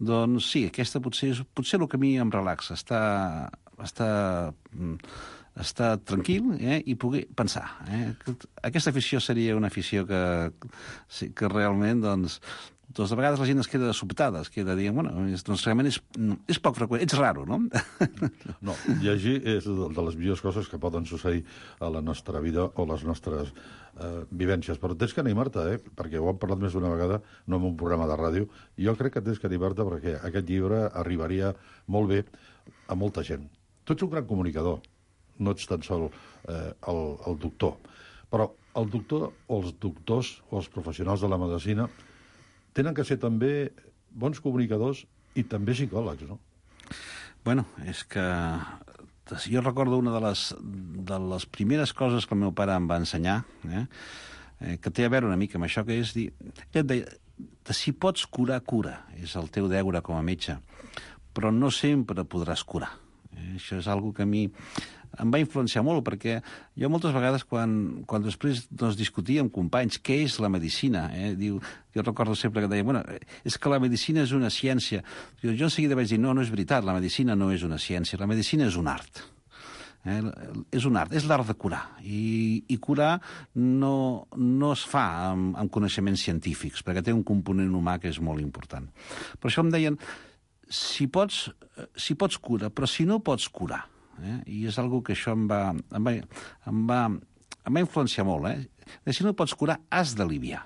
Doncs sí, aquesta potser és potser el que a mi em relaxa, estar, estar, estar tranquil eh, i poder pensar. Eh? Aquesta afició seria una afició que, que realment, doncs, doncs de vegades la gent es queda sobtada, es queda dient, bueno, doncs realment és, és poc freqüent, ets raro, no? No, llegir és de les millors coses que poden succeir a la nostra vida o les nostres eh, vivències. Però tens que animar-te, eh? Perquè ho hem parlat més d'una vegada, no en un programa de ràdio. Jo crec que tens que animar-te perquè aquest llibre arribaria molt bé a molta gent. Tu ets un gran comunicador, no ets tan sol eh, el, el doctor. Però el doctor o els doctors o els professionals de la medicina tenen que ser també bons comunicadors i també psicòlegs, no? Bueno, és que jo recordo una de les, de les primeres coses que el meu pare em va ensenyar, eh, eh, que té a veure una mica amb això, que és dir... Ell et deia, si pots curar, cura. És el teu deure com a metge. Però no sempre podràs curar. Eh, això és algo que a mi em va influenciar molt, perquè jo moltes vegades, quan, quan després doncs, discutia amb companys què és la medicina, eh, diu, jo recordo sempre que deia, bueno, és que la medicina és una ciència. Jo, jo en seguida vaig dir, no, no és veritat, la medicina no és una ciència, la medicina és un art. Eh, és un art, és l'art de curar. I, i curar no, no es fa amb, amb coneixements científics, perquè té un component humà que és molt important. Per això em deien, si pots, si pots cura, però si no pots curar, Eh? i és algo que això em va, em va, em va, em va influenciar molt. Eh? De si no pots curar, has d'aliviar.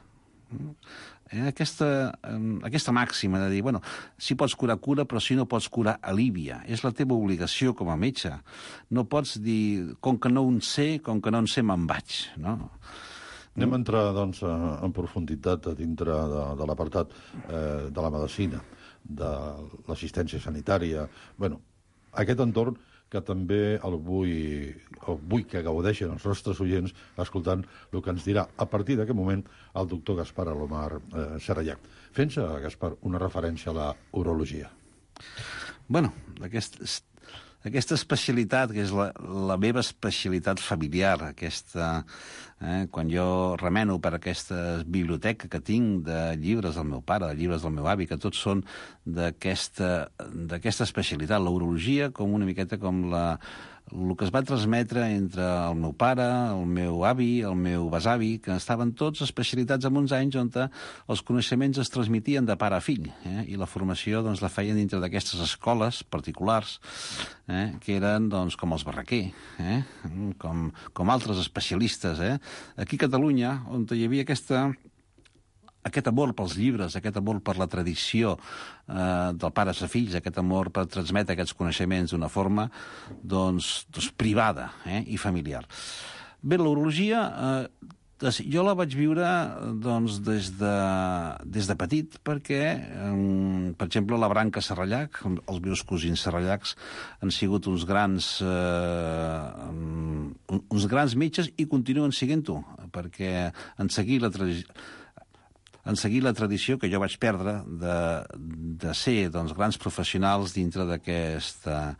Eh? Aquesta, eh, aquesta màxima de dir, bueno, si pots curar, cura, però si no pots curar, alivia. És la teva obligació com a metge. No pots dir, com que no en sé, com que no en sé, me'n vaig. No? Anem a entrar, doncs, en profunditat a dintre de, de l'apartat eh, de la medicina. de l'assistència sanitària. Bueno, aquest entorn que també el vull, el vull que gaudeixen els nostres oients escoltant el que ens dirà a partir d'aquest moment el doctor Gaspar Alomar eh, Serrallac. Fent-se, Gaspar, una referència a la urologia. Bueno, aquest, aquesta especialitat, que és la, la meva especialitat familiar, aquesta, eh, quan jo remeno per aquesta biblioteca que tinc de llibres del meu pare, de llibres del meu avi, que tots són d'aquesta d'aquesta especialitat, la urologia, com una miqueta com la el que es va transmetre entre el meu pare, el meu avi, el meu besavi, que estaven tots especialitats en uns anys on els coneixements es transmitien de pare a fill, eh? I la formació doncs, la feien dintre d'aquestes escoles particulars, eh? Que eren doncs, com els Barraquer, eh? com, com altres especialistes. Eh? Aquí a Catalunya, on hi havia aquesta... aquest amor pels llibres, aquest amor per la tradició eh, del pares a fills, aquest amor per transmetre aquests coneixements d'una forma doncs, doncs privada eh, i familiar. Bé, l'urologia eh, jo la vaig viure doncs, des, de, des de petit perquè, eh, per exemple, la branca Serrallac, els meus cosins Serrallacs han sigut uns grans, eh, uns grans metges i continuen siguent-ho, perquè en seguir la tradició en seguir la tradició que jo vaig perdre de, de ser doncs, grans professionals dintre d'aquesta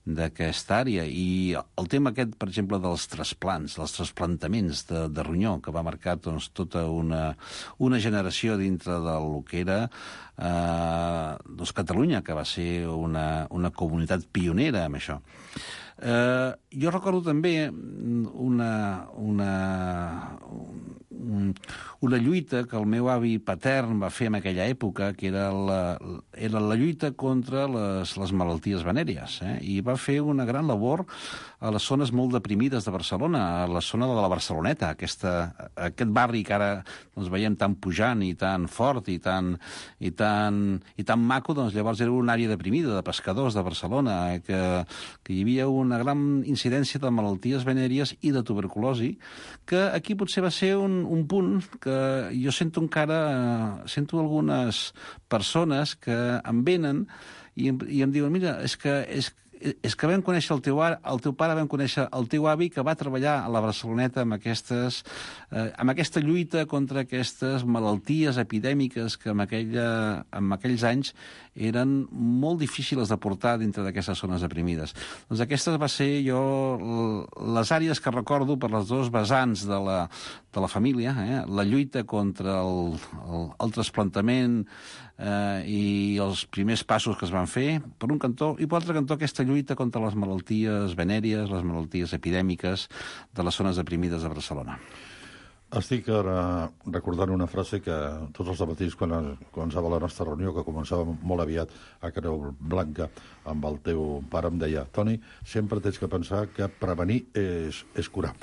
d'aquesta àrea. I el tema aquest, per exemple, dels trasplants, dels trasplantaments de, de ronyó, que va marcar doncs, tota una, una generació dintre del que era eh, doncs, Catalunya, que va ser una, una comunitat pionera en això. Eh, jo recordo també una, una, una lluita que el meu avi patern va fer en aquella època, que era la, era la lluita contra les, les malalties venèries, eh? I va fer una gran labor a les zones molt deprimides de Barcelona, a la zona de la Barceloneta, aquesta, aquest barri que ara doncs, veiem tan pujant i tan fort i tan, i tan, i tan maco, doncs llavors era una àrea deprimida de pescadors de Barcelona, eh? que, que hi havia una gran incidència de malalties venèries i de tuberculosi, que aquí potser va ser un, un punt que jo sento encara, eh, sento algunes persones que em venen i em, i em diuen, mira, és que, és, és que vam conèixer el teu, el teu pare, vam conèixer el teu avi que va treballar a la Barceloneta amb, aquestes, eh, amb aquesta lluita contra aquestes malalties epidèmiques que en, aquella, en aquells anys eren molt difícils de portar dintre d'aquestes zones deprimides. Doncs aquestes va ser jo les àrees que recordo per les dos vessants de la, de la família, eh? La lluita contra el, el, el trasplantament eh, i els primers passos que es van fer, per un cantó, i per l'altre cantó aquesta lluita contra les malalties venèries, les malalties epidèmiques de les zones deprimides de Barcelona. Estic ara recordant una frase que tots els dematins, quan començava la nostra reunió, que començava molt aviat a Creu Blanca amb el teu pare, em deia, Toni, sempre tens que pensar que prevenir és, és curar.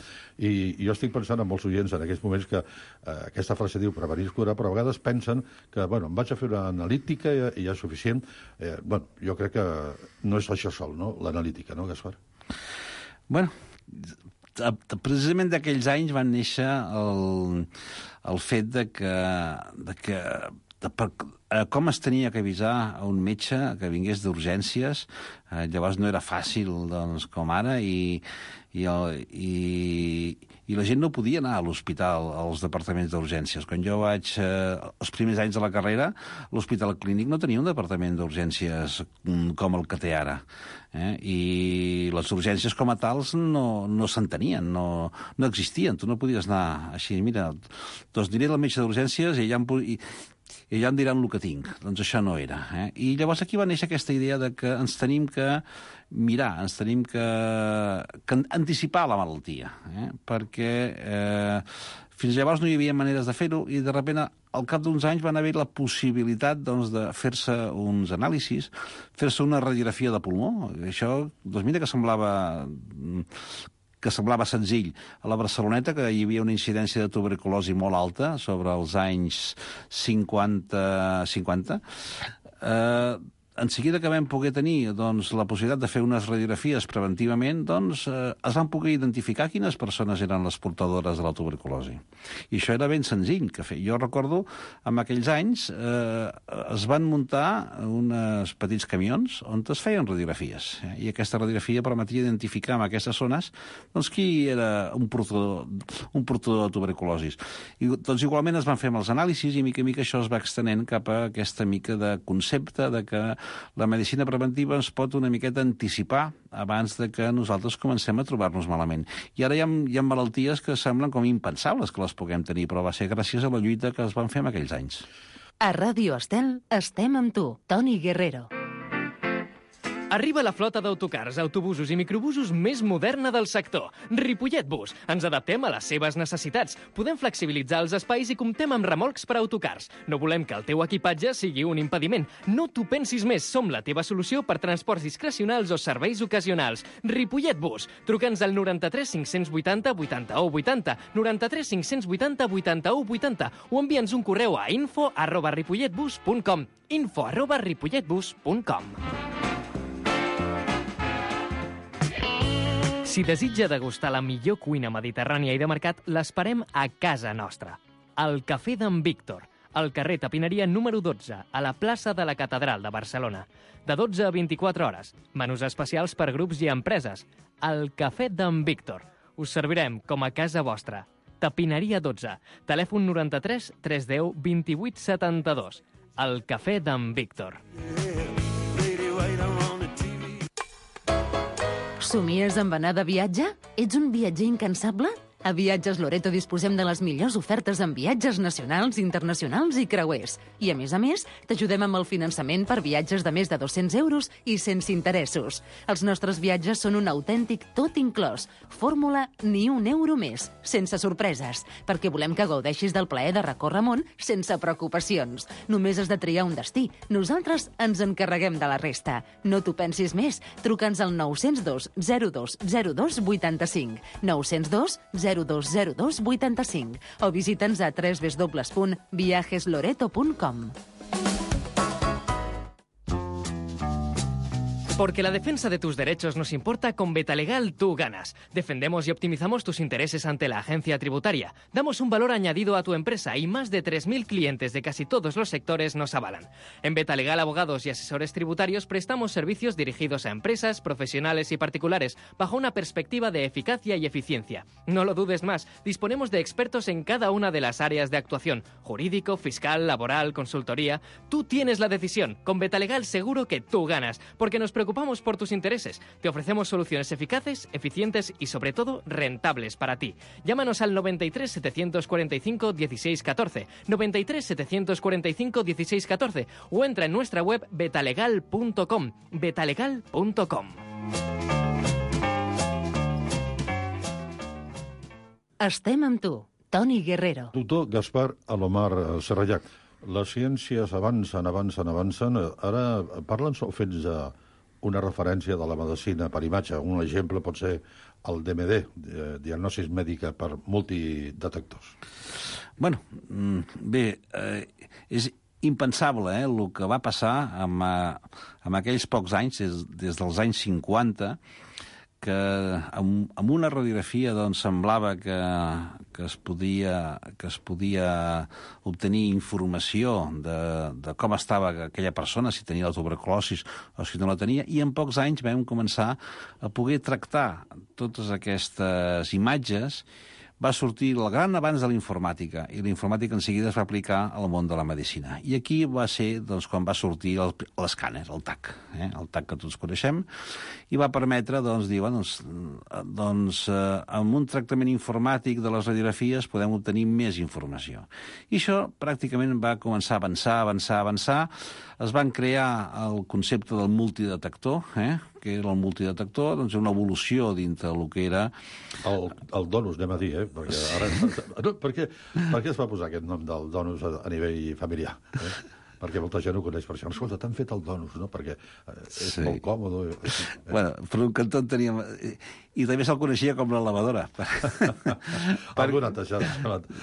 I jo estic pensant en molts oients en aquests moments que eh, aquesta frase diu prevenir és curar, però a vegades pensen que, bueno, em vaig a fer una analítica i, i ja és suficient. Eh, bueno, jo crec que no és això sol, no?, l'analítica, no, Gaspar? Bueno, precisament d'aquells anys van néixer el, el fet de que, de que de per, eh, com es tenia que avisar a un metge que vingués d'urgències. Eh, llavors no era fàcil doncs, com ara i, i, el, i, i la gent no podia anar a l'hospital, als departaments d'urgències. Quan jo vaig, eh, els primers anys de la carrera, l'Hospital Clínic no tenia un departament d'urgències com el que té ara. Eh? I les urgències com a tals no, no s'entenien, no, no existien. Tu no podies anar així, mira, doncs diré al metge d'urgències i ja em, i, i ja em diran el que tinc. Doncs això no era. Eh? I llavors aquí va néixer aquesta idea de que ens tenim que mirar, ens tenim que, que anticipar la malaltia, eh? perquè eh, fins llavors no hi havia maneres de fer-ho i de sobte al cap d'uns anys van haver la possibilitat doncs, de fer-se uns anàlisis, fer-se una radiografia de pulmó. Això, doncs mira que semblava que semblava senzill. A la Barceloneta, que hi havia una incidència de tuberculosi molt alta sobre els anys cinquanta, cinquanta eh, en seguida que vam poder tenir doncs, la possibilitat de fer unes radiografies preventivament, doncs eh, es van poder identificar quines persones eren les portadores de la tuberculosi. I això era ben senzill. Que fer. Jo recordo, en aquells anys, eh, es van muntar uns petits camions on es feien radiografies. Eh? I aquesta radiografia permetia identificar en aquestes zones doncs, qui era un portador, un portador de tuberculosi. I doncs, igualment es van fer amb els anàlisis i mica a mica això es va extenent cap a aquesta mica de concepte de que la medicina preventiva ens pot una miqueta anticipar abans de que nosaltres comencem a trobar-nos malament. I ara hi ha, hi ha malalties que semblen com impensables que les puguem tenir, però va ser gràcies a la lluita que es van fer en aquells anys. A Ràdio Estel estem amb tu, Toni Guerrero. Arriba la flota d'autocars, autobusos i microbusos més moderna del sector. Ripollet Bus. Ens adaptem a les seves necessitats. Podem flexibilitzar els espais i comptem amb remolcs per a autocars. No volem que el teu equipatge sigui un impediment. No t'ho pensis més. Som la teva solució per transports discrecionals o serveis ocasionals. Ripollet Bus. Truca'ns al noranta-tres cinc-cents vuitanta vuitanta-u vuitanta, noranta-tres cinc-cents vuitanta vuitanta-u vuitanta o envia'ns un correu a info arroba ripolletbus punt com. info arroba ripolletbus punt com. Si desitja degustar la millor cuina mediterrània i de mercat, l'esperem a casa nostra. Al Cafè d'en Víctor, al carrer Tapineria número dotze, a la plaça de la Catedral de Barcelona. De dotze a vint-i-quatre hores. Menús especials per grups i empreses. Al Cafè d'en Víctor. Us servirem com a casa vostra. Tapineria dotze. Telèfon noranta-tres tres deu vint-i-vuit setanta-dos. Al Cafè d'en Víctor. Somies amb anar de viatge? Ets un viatger incansable? A Viatges Loreto disposem de les millors ofertes en viatges nacionals, internacionals i creuers. I, a més a més, t'ajudem amb el finançament per viatges de més de dos-cents euros i sense interessos. Els nostres viatges són un autèntic tot inclòs. Fórmula ni un euro més, sense sorpreses, perquè volem que gaudeixis del plaer de recórrer món sense preocupacions. Només has de triar un destí. Nosaltres ens encarreguem de la resta. No t'ho pensis més. Truca'ns al nou zero dos zero dos zero dos vuitanta-cinc. nou zero dos zero dos zero dos vuitanta-cinc o visita'ns a w w w punt viajes loreto punt com. Porque la defensa de tus derechos nos importa, con Betalegal tú ganas. Defendemos y optimizamos tus intereses ante la agencia tributaria. Damos un valor añadido a tu empresa y más de tres mil clientes de casi todos los sectores nos avalan. En Betalegal Abogados y Asesores Tributarios prestamos servicios dirigidos a empresas, profesionales y particulares bajo una perspectiva de eficacia y eficiencia. No lo dudes más, disponemos de expertos en cada una de las áreas de actuación: jurídico, fiscal, laboral, consultoría. Tú tienes la decisión. Con Betalegal seguro que tú ganas, porque nos preocupamos Preocupamos por tus intereses. Te ofrecemos soluciones eficaces, eficientes y, sobre todo, rentables para ti. Llámanos al noventa y tres setecientos cuarenta y cinco dieciséis catorce, noventa y tres setecientos cuarenta y cinco dieciséis catorce o entra en nuestra web betalegal punto com. betalegal punto com. Estem amb tu, Toni Guerrero. Doctor Gaspar Alomar Serrallac, les ciències avancen, avancen, avancen. Ara parlen o fets a una referència de la medicina per imatge. Un exemple pot ser el D M D, diagnosis mèdica per multidetectors. Bueno, bé, eh, és impensable eh, el que va passar amb, amb aquells pocs anys, des, des dels anys cinquanta, que amb, amb una radiografia doncs, semblava que, que, es podia, que es podia obtenir informació de, de com estava aquella persona, si tenia la tuberculosi o si no la tenia, i en pocs anys vam començar a poder tractar totes aquestes imatges. Va sortir el gran avanç de la informàtica, i la informàtica en seguida es va aplicar al món de la medicina. I aquí va ser doncs, quan va sortir l'escàner, el T A C, eh? el T A C que tots coneixem, i va permetre doncs, dir, bueno, doncs, doncs eh, amb un tractament informàtic de les radiografies podem obtenir més informació. I això pràcticament va començar a avançar, avançar, avançar. Es van crear el concepte del multidetector, eh? que era el multidetector, doncs una evolució dintre del que era... El, el donus, anem a dir, eh? Perquè ara... no, per, què, per què es va posar aquest nom del donus a, a nivell familiar? Eh? perquè molta gent ho coneix per això. Escolta, t'han fet el donus, no? Perquè és Sí. molt còmode. Bueno, per un cantó en teníem... I també se'l coneixia com la lavadora. Algú netejada,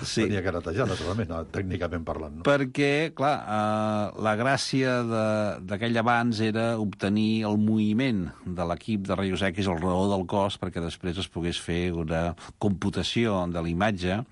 Sí. tenia que netejar, naturalment, no, tècnicament parlant. No? Perquè, clar, eh, la gràcia de- d'aquell abans era obtenir el moviment de l'equip de rayos X al raó del cos perquè després es pogués fer una computació de la imatge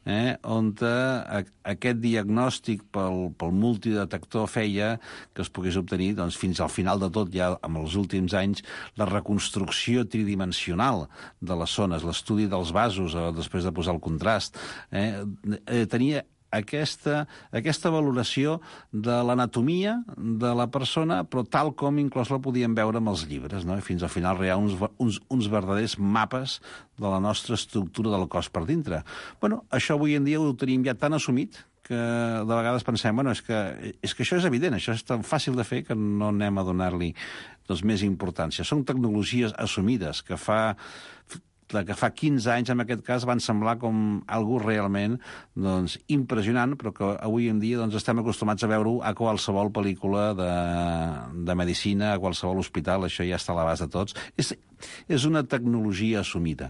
eh, on a, aquest diagnòstic pel, pel multidetector feia que es pogués obtenir, doncs, fins al final de tot, ja en els últims anys, la reconstrucció tridimensional de les zones, l'estudi dels vasos, eh, després de posar el contrast. Eh, eh, tenia aquesta, aquesta valoració de l'anatomia de la persona, però tal com inclús la podíem veure amb els llibres, no? I fins al final hi ha uns, uns, uns verdaders mapes de la nostra estructura del cos per dintre. Bueno, això avui en dia ho tenim ja tan assumit que de vegades pensem, bueno, és que, és que això és evident, això és tan fàcil de fer que no anem a donar-li doncs, més importància. Són tecnologies assumides que fa... que fa quinze anys, en aquest cas, van semblar com algú realment doncs, impressionant, però que avui en dia doncs, estem acostumats a veure-ho a qualsevol pel·lícula de, de medicina, a qualsevol hospital, això ja està a l'abast de tots. És, és una tecnologia assumida.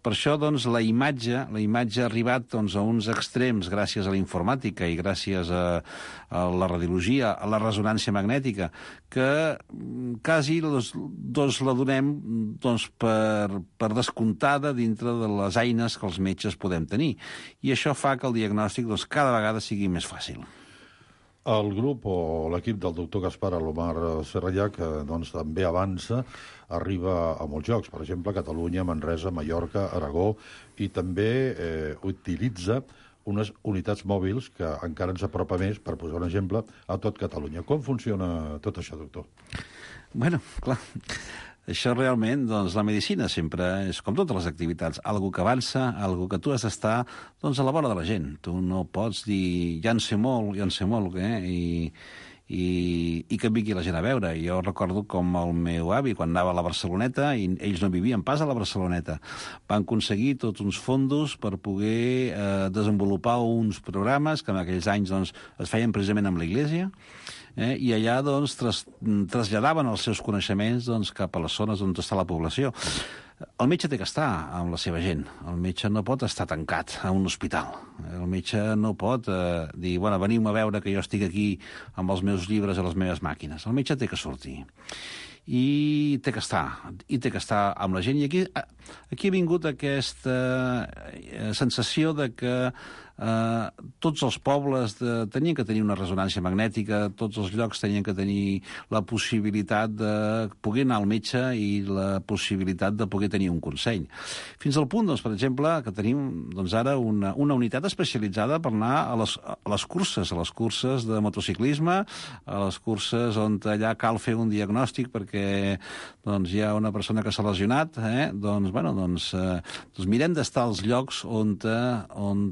Per això, doncs, la imatge, la imatge ha arribat doncs, a uns extrems gràcies a la informàtica i gràcies a, a la radiologia, a la resonància magnètica, que quasi doncs, doncs la donem doncs, per, per descomptada dintre de les eines que els metges podem tenir. I això fa que el diagnòstic doncs, cada vegada sigui més fàcil. El grup o l'equip del doctor Gaspar Alomar Serrallach doncs, també avança, arriba a molts llocs, per exemple, Catalunya, Manresa, Mallorca, Aragó, i també eh, utilitza unes unitats mòbils que encara ens apropa més, per posar un exemple, a tot Catalunya. Com funciona tot això, doctor? Bueno, clar, això realment, doncs, la medicina sempre és, com totes les activitats, algo que avança, algo que tu has d'estar doncs, a la vora de la gent. Tu no pots dir, ja en sé molt, ja en sé molt, eh? I, i, i que vingui la gent a veure. Jo recordo com el meu avi, quan anava a la Barceloneta, i ells no vivien pas a la Barceloneta, van aconseguir tots uns fondos per poder eh, desenvolupar uns programes que en aquells anys doncs, es feien precisament amb l'Església, eh, i allà doncs, tras, traslladaven els seus coneixements doncs, cap a les zones on està la població. El metge té que estar amb la seva gent. El metge no pot estar tancat a un hospital. El metge no pot eh, dir, bueno, veniu a veure que jo estic aquí amb els meus llibres i les meves màquines. El metge té que sortir. I té que estar, i té que estar amb la gent. I aquí, aquí ha vingut aquesta sensació de que eh, tots els pobles de, tenien que tenir una resonància magnètica, tots els llocs tenien que tenir la possibilitat de poder anar al metge i la possibilitat de poder tenir un consell. Fins al punt, doncs, per exemple, que tenim doncs, ara una, una unitat especialitzada per anar a les, a les curses, a les curses de motociclisme, a les curses on allà cal fer un diagnòstic perquè doncs, hi ha una persona que s'ha lesionat, eh? doncs, bueno, doncs, eh, doncs mirem d'estar als llocs on, on,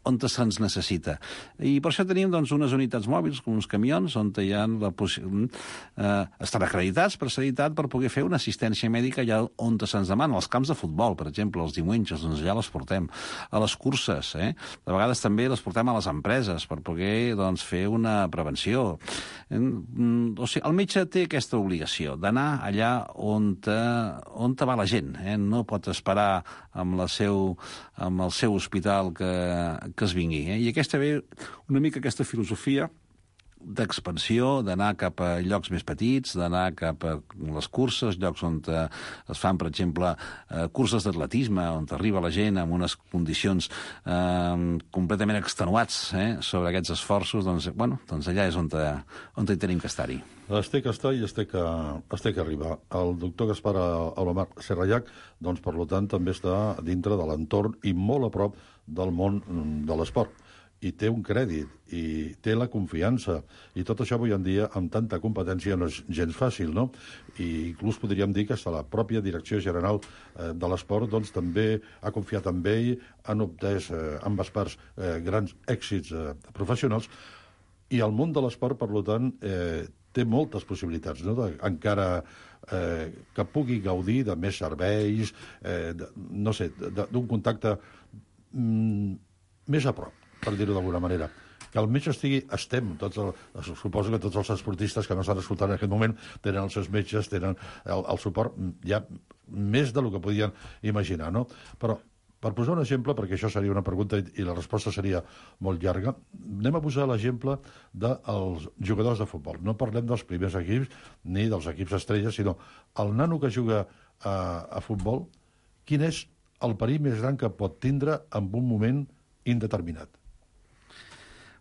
on se'ns necessita. I per això tenim doncs, unes unitats mòbils, com uns camions, on hi ha la possibilitat... Eh, estan acreditats per sanitat per poder fer una assistència mèdica allà on se'ns demana. Als camps de futbol, per exemple, els diumenges, doncs allà les portem. A les curses, eh? De vegades també les portem a les empreses per poder doncs, fer una prevenció. Eh, o sigui, el metge té aquesta obligació d'anar allà on, te, on te va la gent. Eh? No pot esperar amb, la seu, amb el seu hospital que, que es vingui. Eh? I aquesta ve una mica aquesta filosofia d'expansió, d'anar cap a llocs més petits, d'anar cap a les curses, llocs on es fan, per exemple, eh, curses d'atletisme, on arriba la gent amb unes condicions eh, completament extenuats eh, sobre aquests esforços, doncs, bueno, doncs allà és on, te, on te tenim que estar-hi. Es té que estar i es té que, es té que arribar. El doctor Gaspar Alomar Serrallach, doncs, per tant, també està dintre de l'entorn i molt a prop del món de l'esport. I té un crèdit, i té la confiança, i tot això avui en dia, amb tanta competència, no és gens fàcil, no? I inclús podríem dir que la pròpia Direcció General eh, de l'Esport doncs, també ha confiat en ell, han obtès eh, ambes parts eh, grans èxits eh, professionals, i el món de l'esport, per tant, eh, té moltes possibilitats, no? De, encara eh, que pugui gaudir de més serveis, eh, de, no sé, d'un contacte mm, més a prop, per dir-ho d'alguna manera. que el metge estigui, estem, tots el, suposo que tots els esportistes que m'estan escoltant en aquest moment tenen els seus metges, tenen el, el suport ja més del que podien imaginar, no? Però, per posar un exemple, perquè això seria una pregunta i, i la resposta seria molt llarga, anem a posar l'exemple dels jugadors de futbol. No parlem dels primers equips ni dels equips estrelles, sinó el nano que juga a, a futbol, quin és el perill més gran que pot tindre en un moment indeterminat?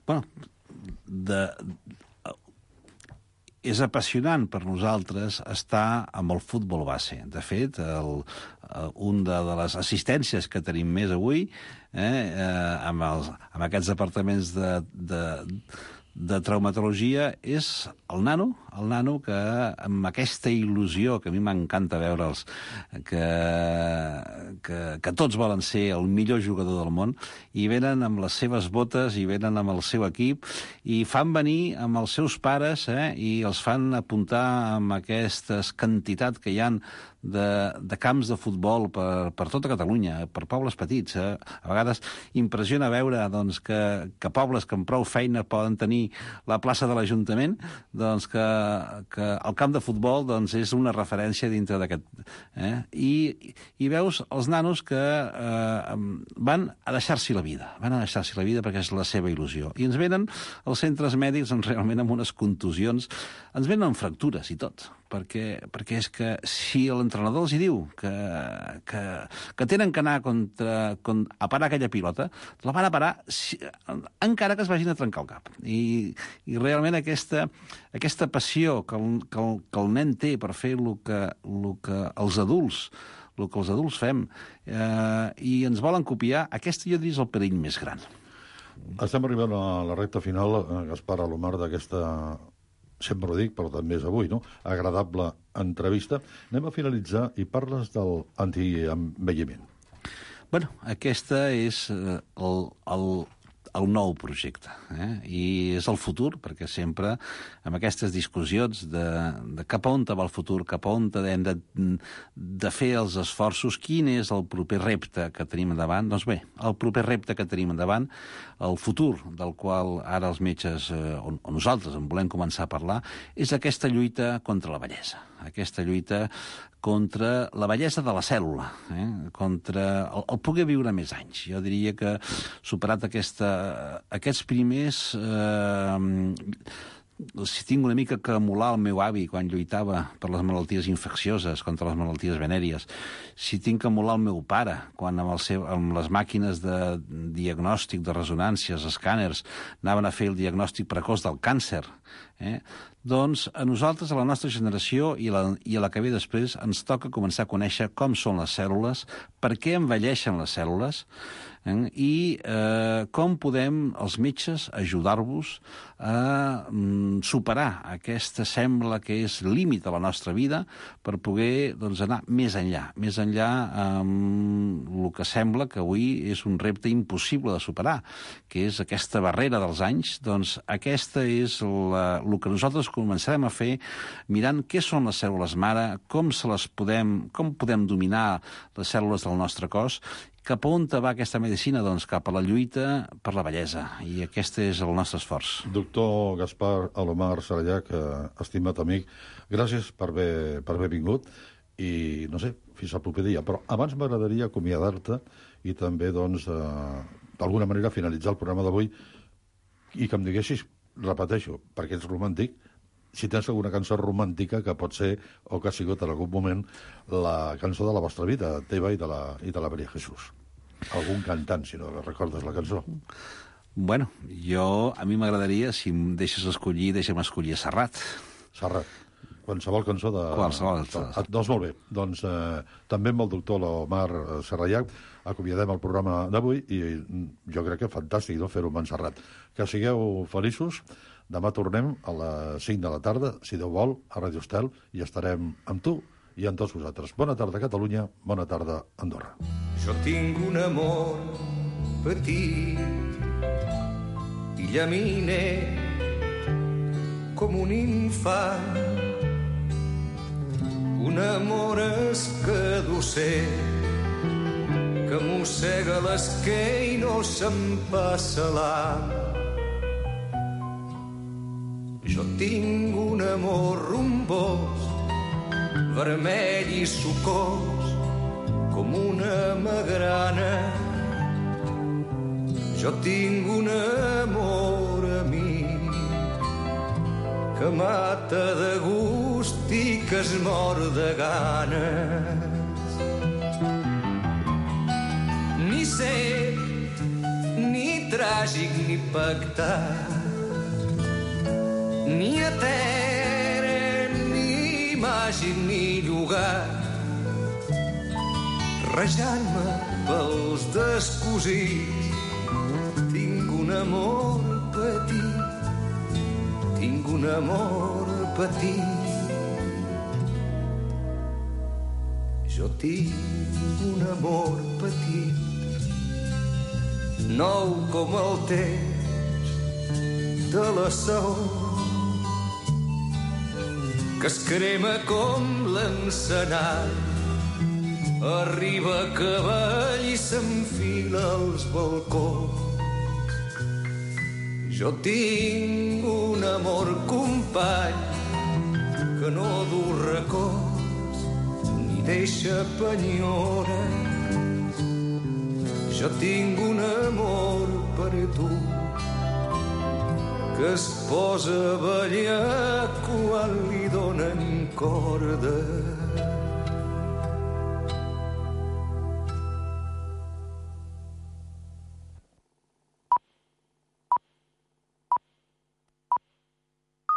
Bueno, de, és apassionant per nosaltres estar amb el futbol base. De fet, el, un de, de les assistències que tenim més avui, eh, eh, amb, els, amb aquests departaments de, de, de traumatologia, és el nano, el nano que amb aquesta il·lusió, que a mi m'encanta veure'ls, que, que, que tots volen ser el millor jugador del món, i venen amb les seves botes, i venen amb el seu equip, i fan venir amb els seus pares, eh, i els fan apuntar amb aquestes quantitats que hi han de, de camps de futbol per, per tota Catalunya, per pobles petits. Eh? A vegades impressiona veure doncs, que, que pobles que amb prou feina poden tenir la plaça de l'Ajuntament, doncs que, que el camp de futbol doncs, és una referència dintre d'aquest. Eh? I, I veus els nanos que eh, van a deixar-s'hi la vida, van a deixar-s'hi la vida perquè és la seva il·lusió. I ens venen els centres mèdics doncs, realment amb unes contusions, ens venen amb fractures i tot, perquè, perquè és que si l'entrenador els hi diu que, que, que tenen que anar contra, contra, a parar aquella pilota, la van a parar si, encara que es vagin a trencar el cap. I, i realment aquesta, aquesta passió que el, que, el, que el nen té per fer el que, el que els adults el que els adults fem, eh, i ens volen copiar, aquest jo diria és el perill més gran. Estem arribant a la recta final, Gaspar Alomar, d'aquesta, sempre ho dic, però també és avui, no?, agradable entrevista. Anem a finalitzar i parles del antienvelliment. Bueno, aquesta és eh, el, el, el nou projecte, eh? I és el futur, perquè sempre amb aquestes discussions de, de cap a on va el futur, cap a on hem de, de fer els esforços, quin és el proper repte que tenim endavant, doncs bé, el proper repte que tenim endavant, el futur del qual ara els metges, eh, o, o nosaltres en volem començar a parlar, és aquesta lluita contra la vellesa, aquesta lluita contra la bellesa de la cèl·lula, eh? contra el, el poder viure més anys. Jo diria que superat aquesta, aquests primers... Eh, si tinc una mica que emular el meu avi quan lluitava per les malalties infeccioses, contra les malalties venèries, si tinc que emular el meu pare quan amb, el seu, amb les màquines de diagnòstic, de resonàncies, escàners, anaven a fer el diagnòstic precoç del càncer, eh? doncs a nosaltres, a la nostra generació i, la, i a la que ve després, ens toca començar a conèixer com són les cèl·lules, per què envelleixen les cèl·lules, eh? i eh, com podem, els metges, ajudar-vos a mm, superar aquesta sembla que és límit a la nostra vida per poder doncs, anar més enllà, més enllà amb el que sembla que avui és un repte impossible de superar, que és aquesta barrera dels anys. Doncs aquesta és la, el que nosaltres començarem a fer mirant què són les cèl·lules mare, com, se les podem, com podem dominar les cèl·lules del nostre cos. Cap a on va aquesta medicina? Doncs cap a la lluita per la bellesa, i aquest és el nostre esforç. Doctor Gaspar Alomar Sarallac, estimat amic, gràcies per haver, per haver vingut, i no sé, fins al proper dia. Però abans m'agradaria acomiadar-te i també, doncs, eh, d'alguna manera finalitzar el programa d'avui i que em diguessis, repeteixo, perquè ets romàntic, si tens alguna cançó romàntica que pot ser, o que ha sigut en algun moment, la cançó de la vostra vida, teva i de la, i de la Maria Jesús. Algun cantant, si no recordes la cançó. Bueno, jo, a mi m'agradaria, si em deixes escollir, deixa'm escollir Serrat. Serrat. Qualsevol cançó de... Qualsevol. Ah, doncs molt bé. Doncs eh, també amb el doctor Alomar Sarallac acomiadem el programa d'avui i jo crec que fantàstic, no?, fer-ho amb en Serrat. Que sigueu feliços. Demà tornem a les cinc de la tarda, si Déu vol, a Ràdio Estel, i estarem amb tu i amb tots vosaltres. Bona tarda, Catalunya. Bona tarda, Andorra. Jo tinc un amor petit i llaminer com un infant, un amor escadusser que mossega l'esquer i no se'n passa l'am. Jo tinc un amor rumbós, vermell i sucós, com una magrana. Jo tinc un amor amic que mata de gust i que es mor de ganes. Ni cec, ni tràgic, ni pactat, ni etern, ni màgic, ni llogat, rejant-me pels descosits. Tinc un amor petit, tinc un amor petit. Jo tinc un amor petit, nou com el temps de la saó, que es crema com l'encenall, arriba a cavall i s'enfila als balcons. Jo tinc un amor company que no du records ni deixa penyores. Jo tinc un amor per tu que es posa a ballar quan li donen cordes.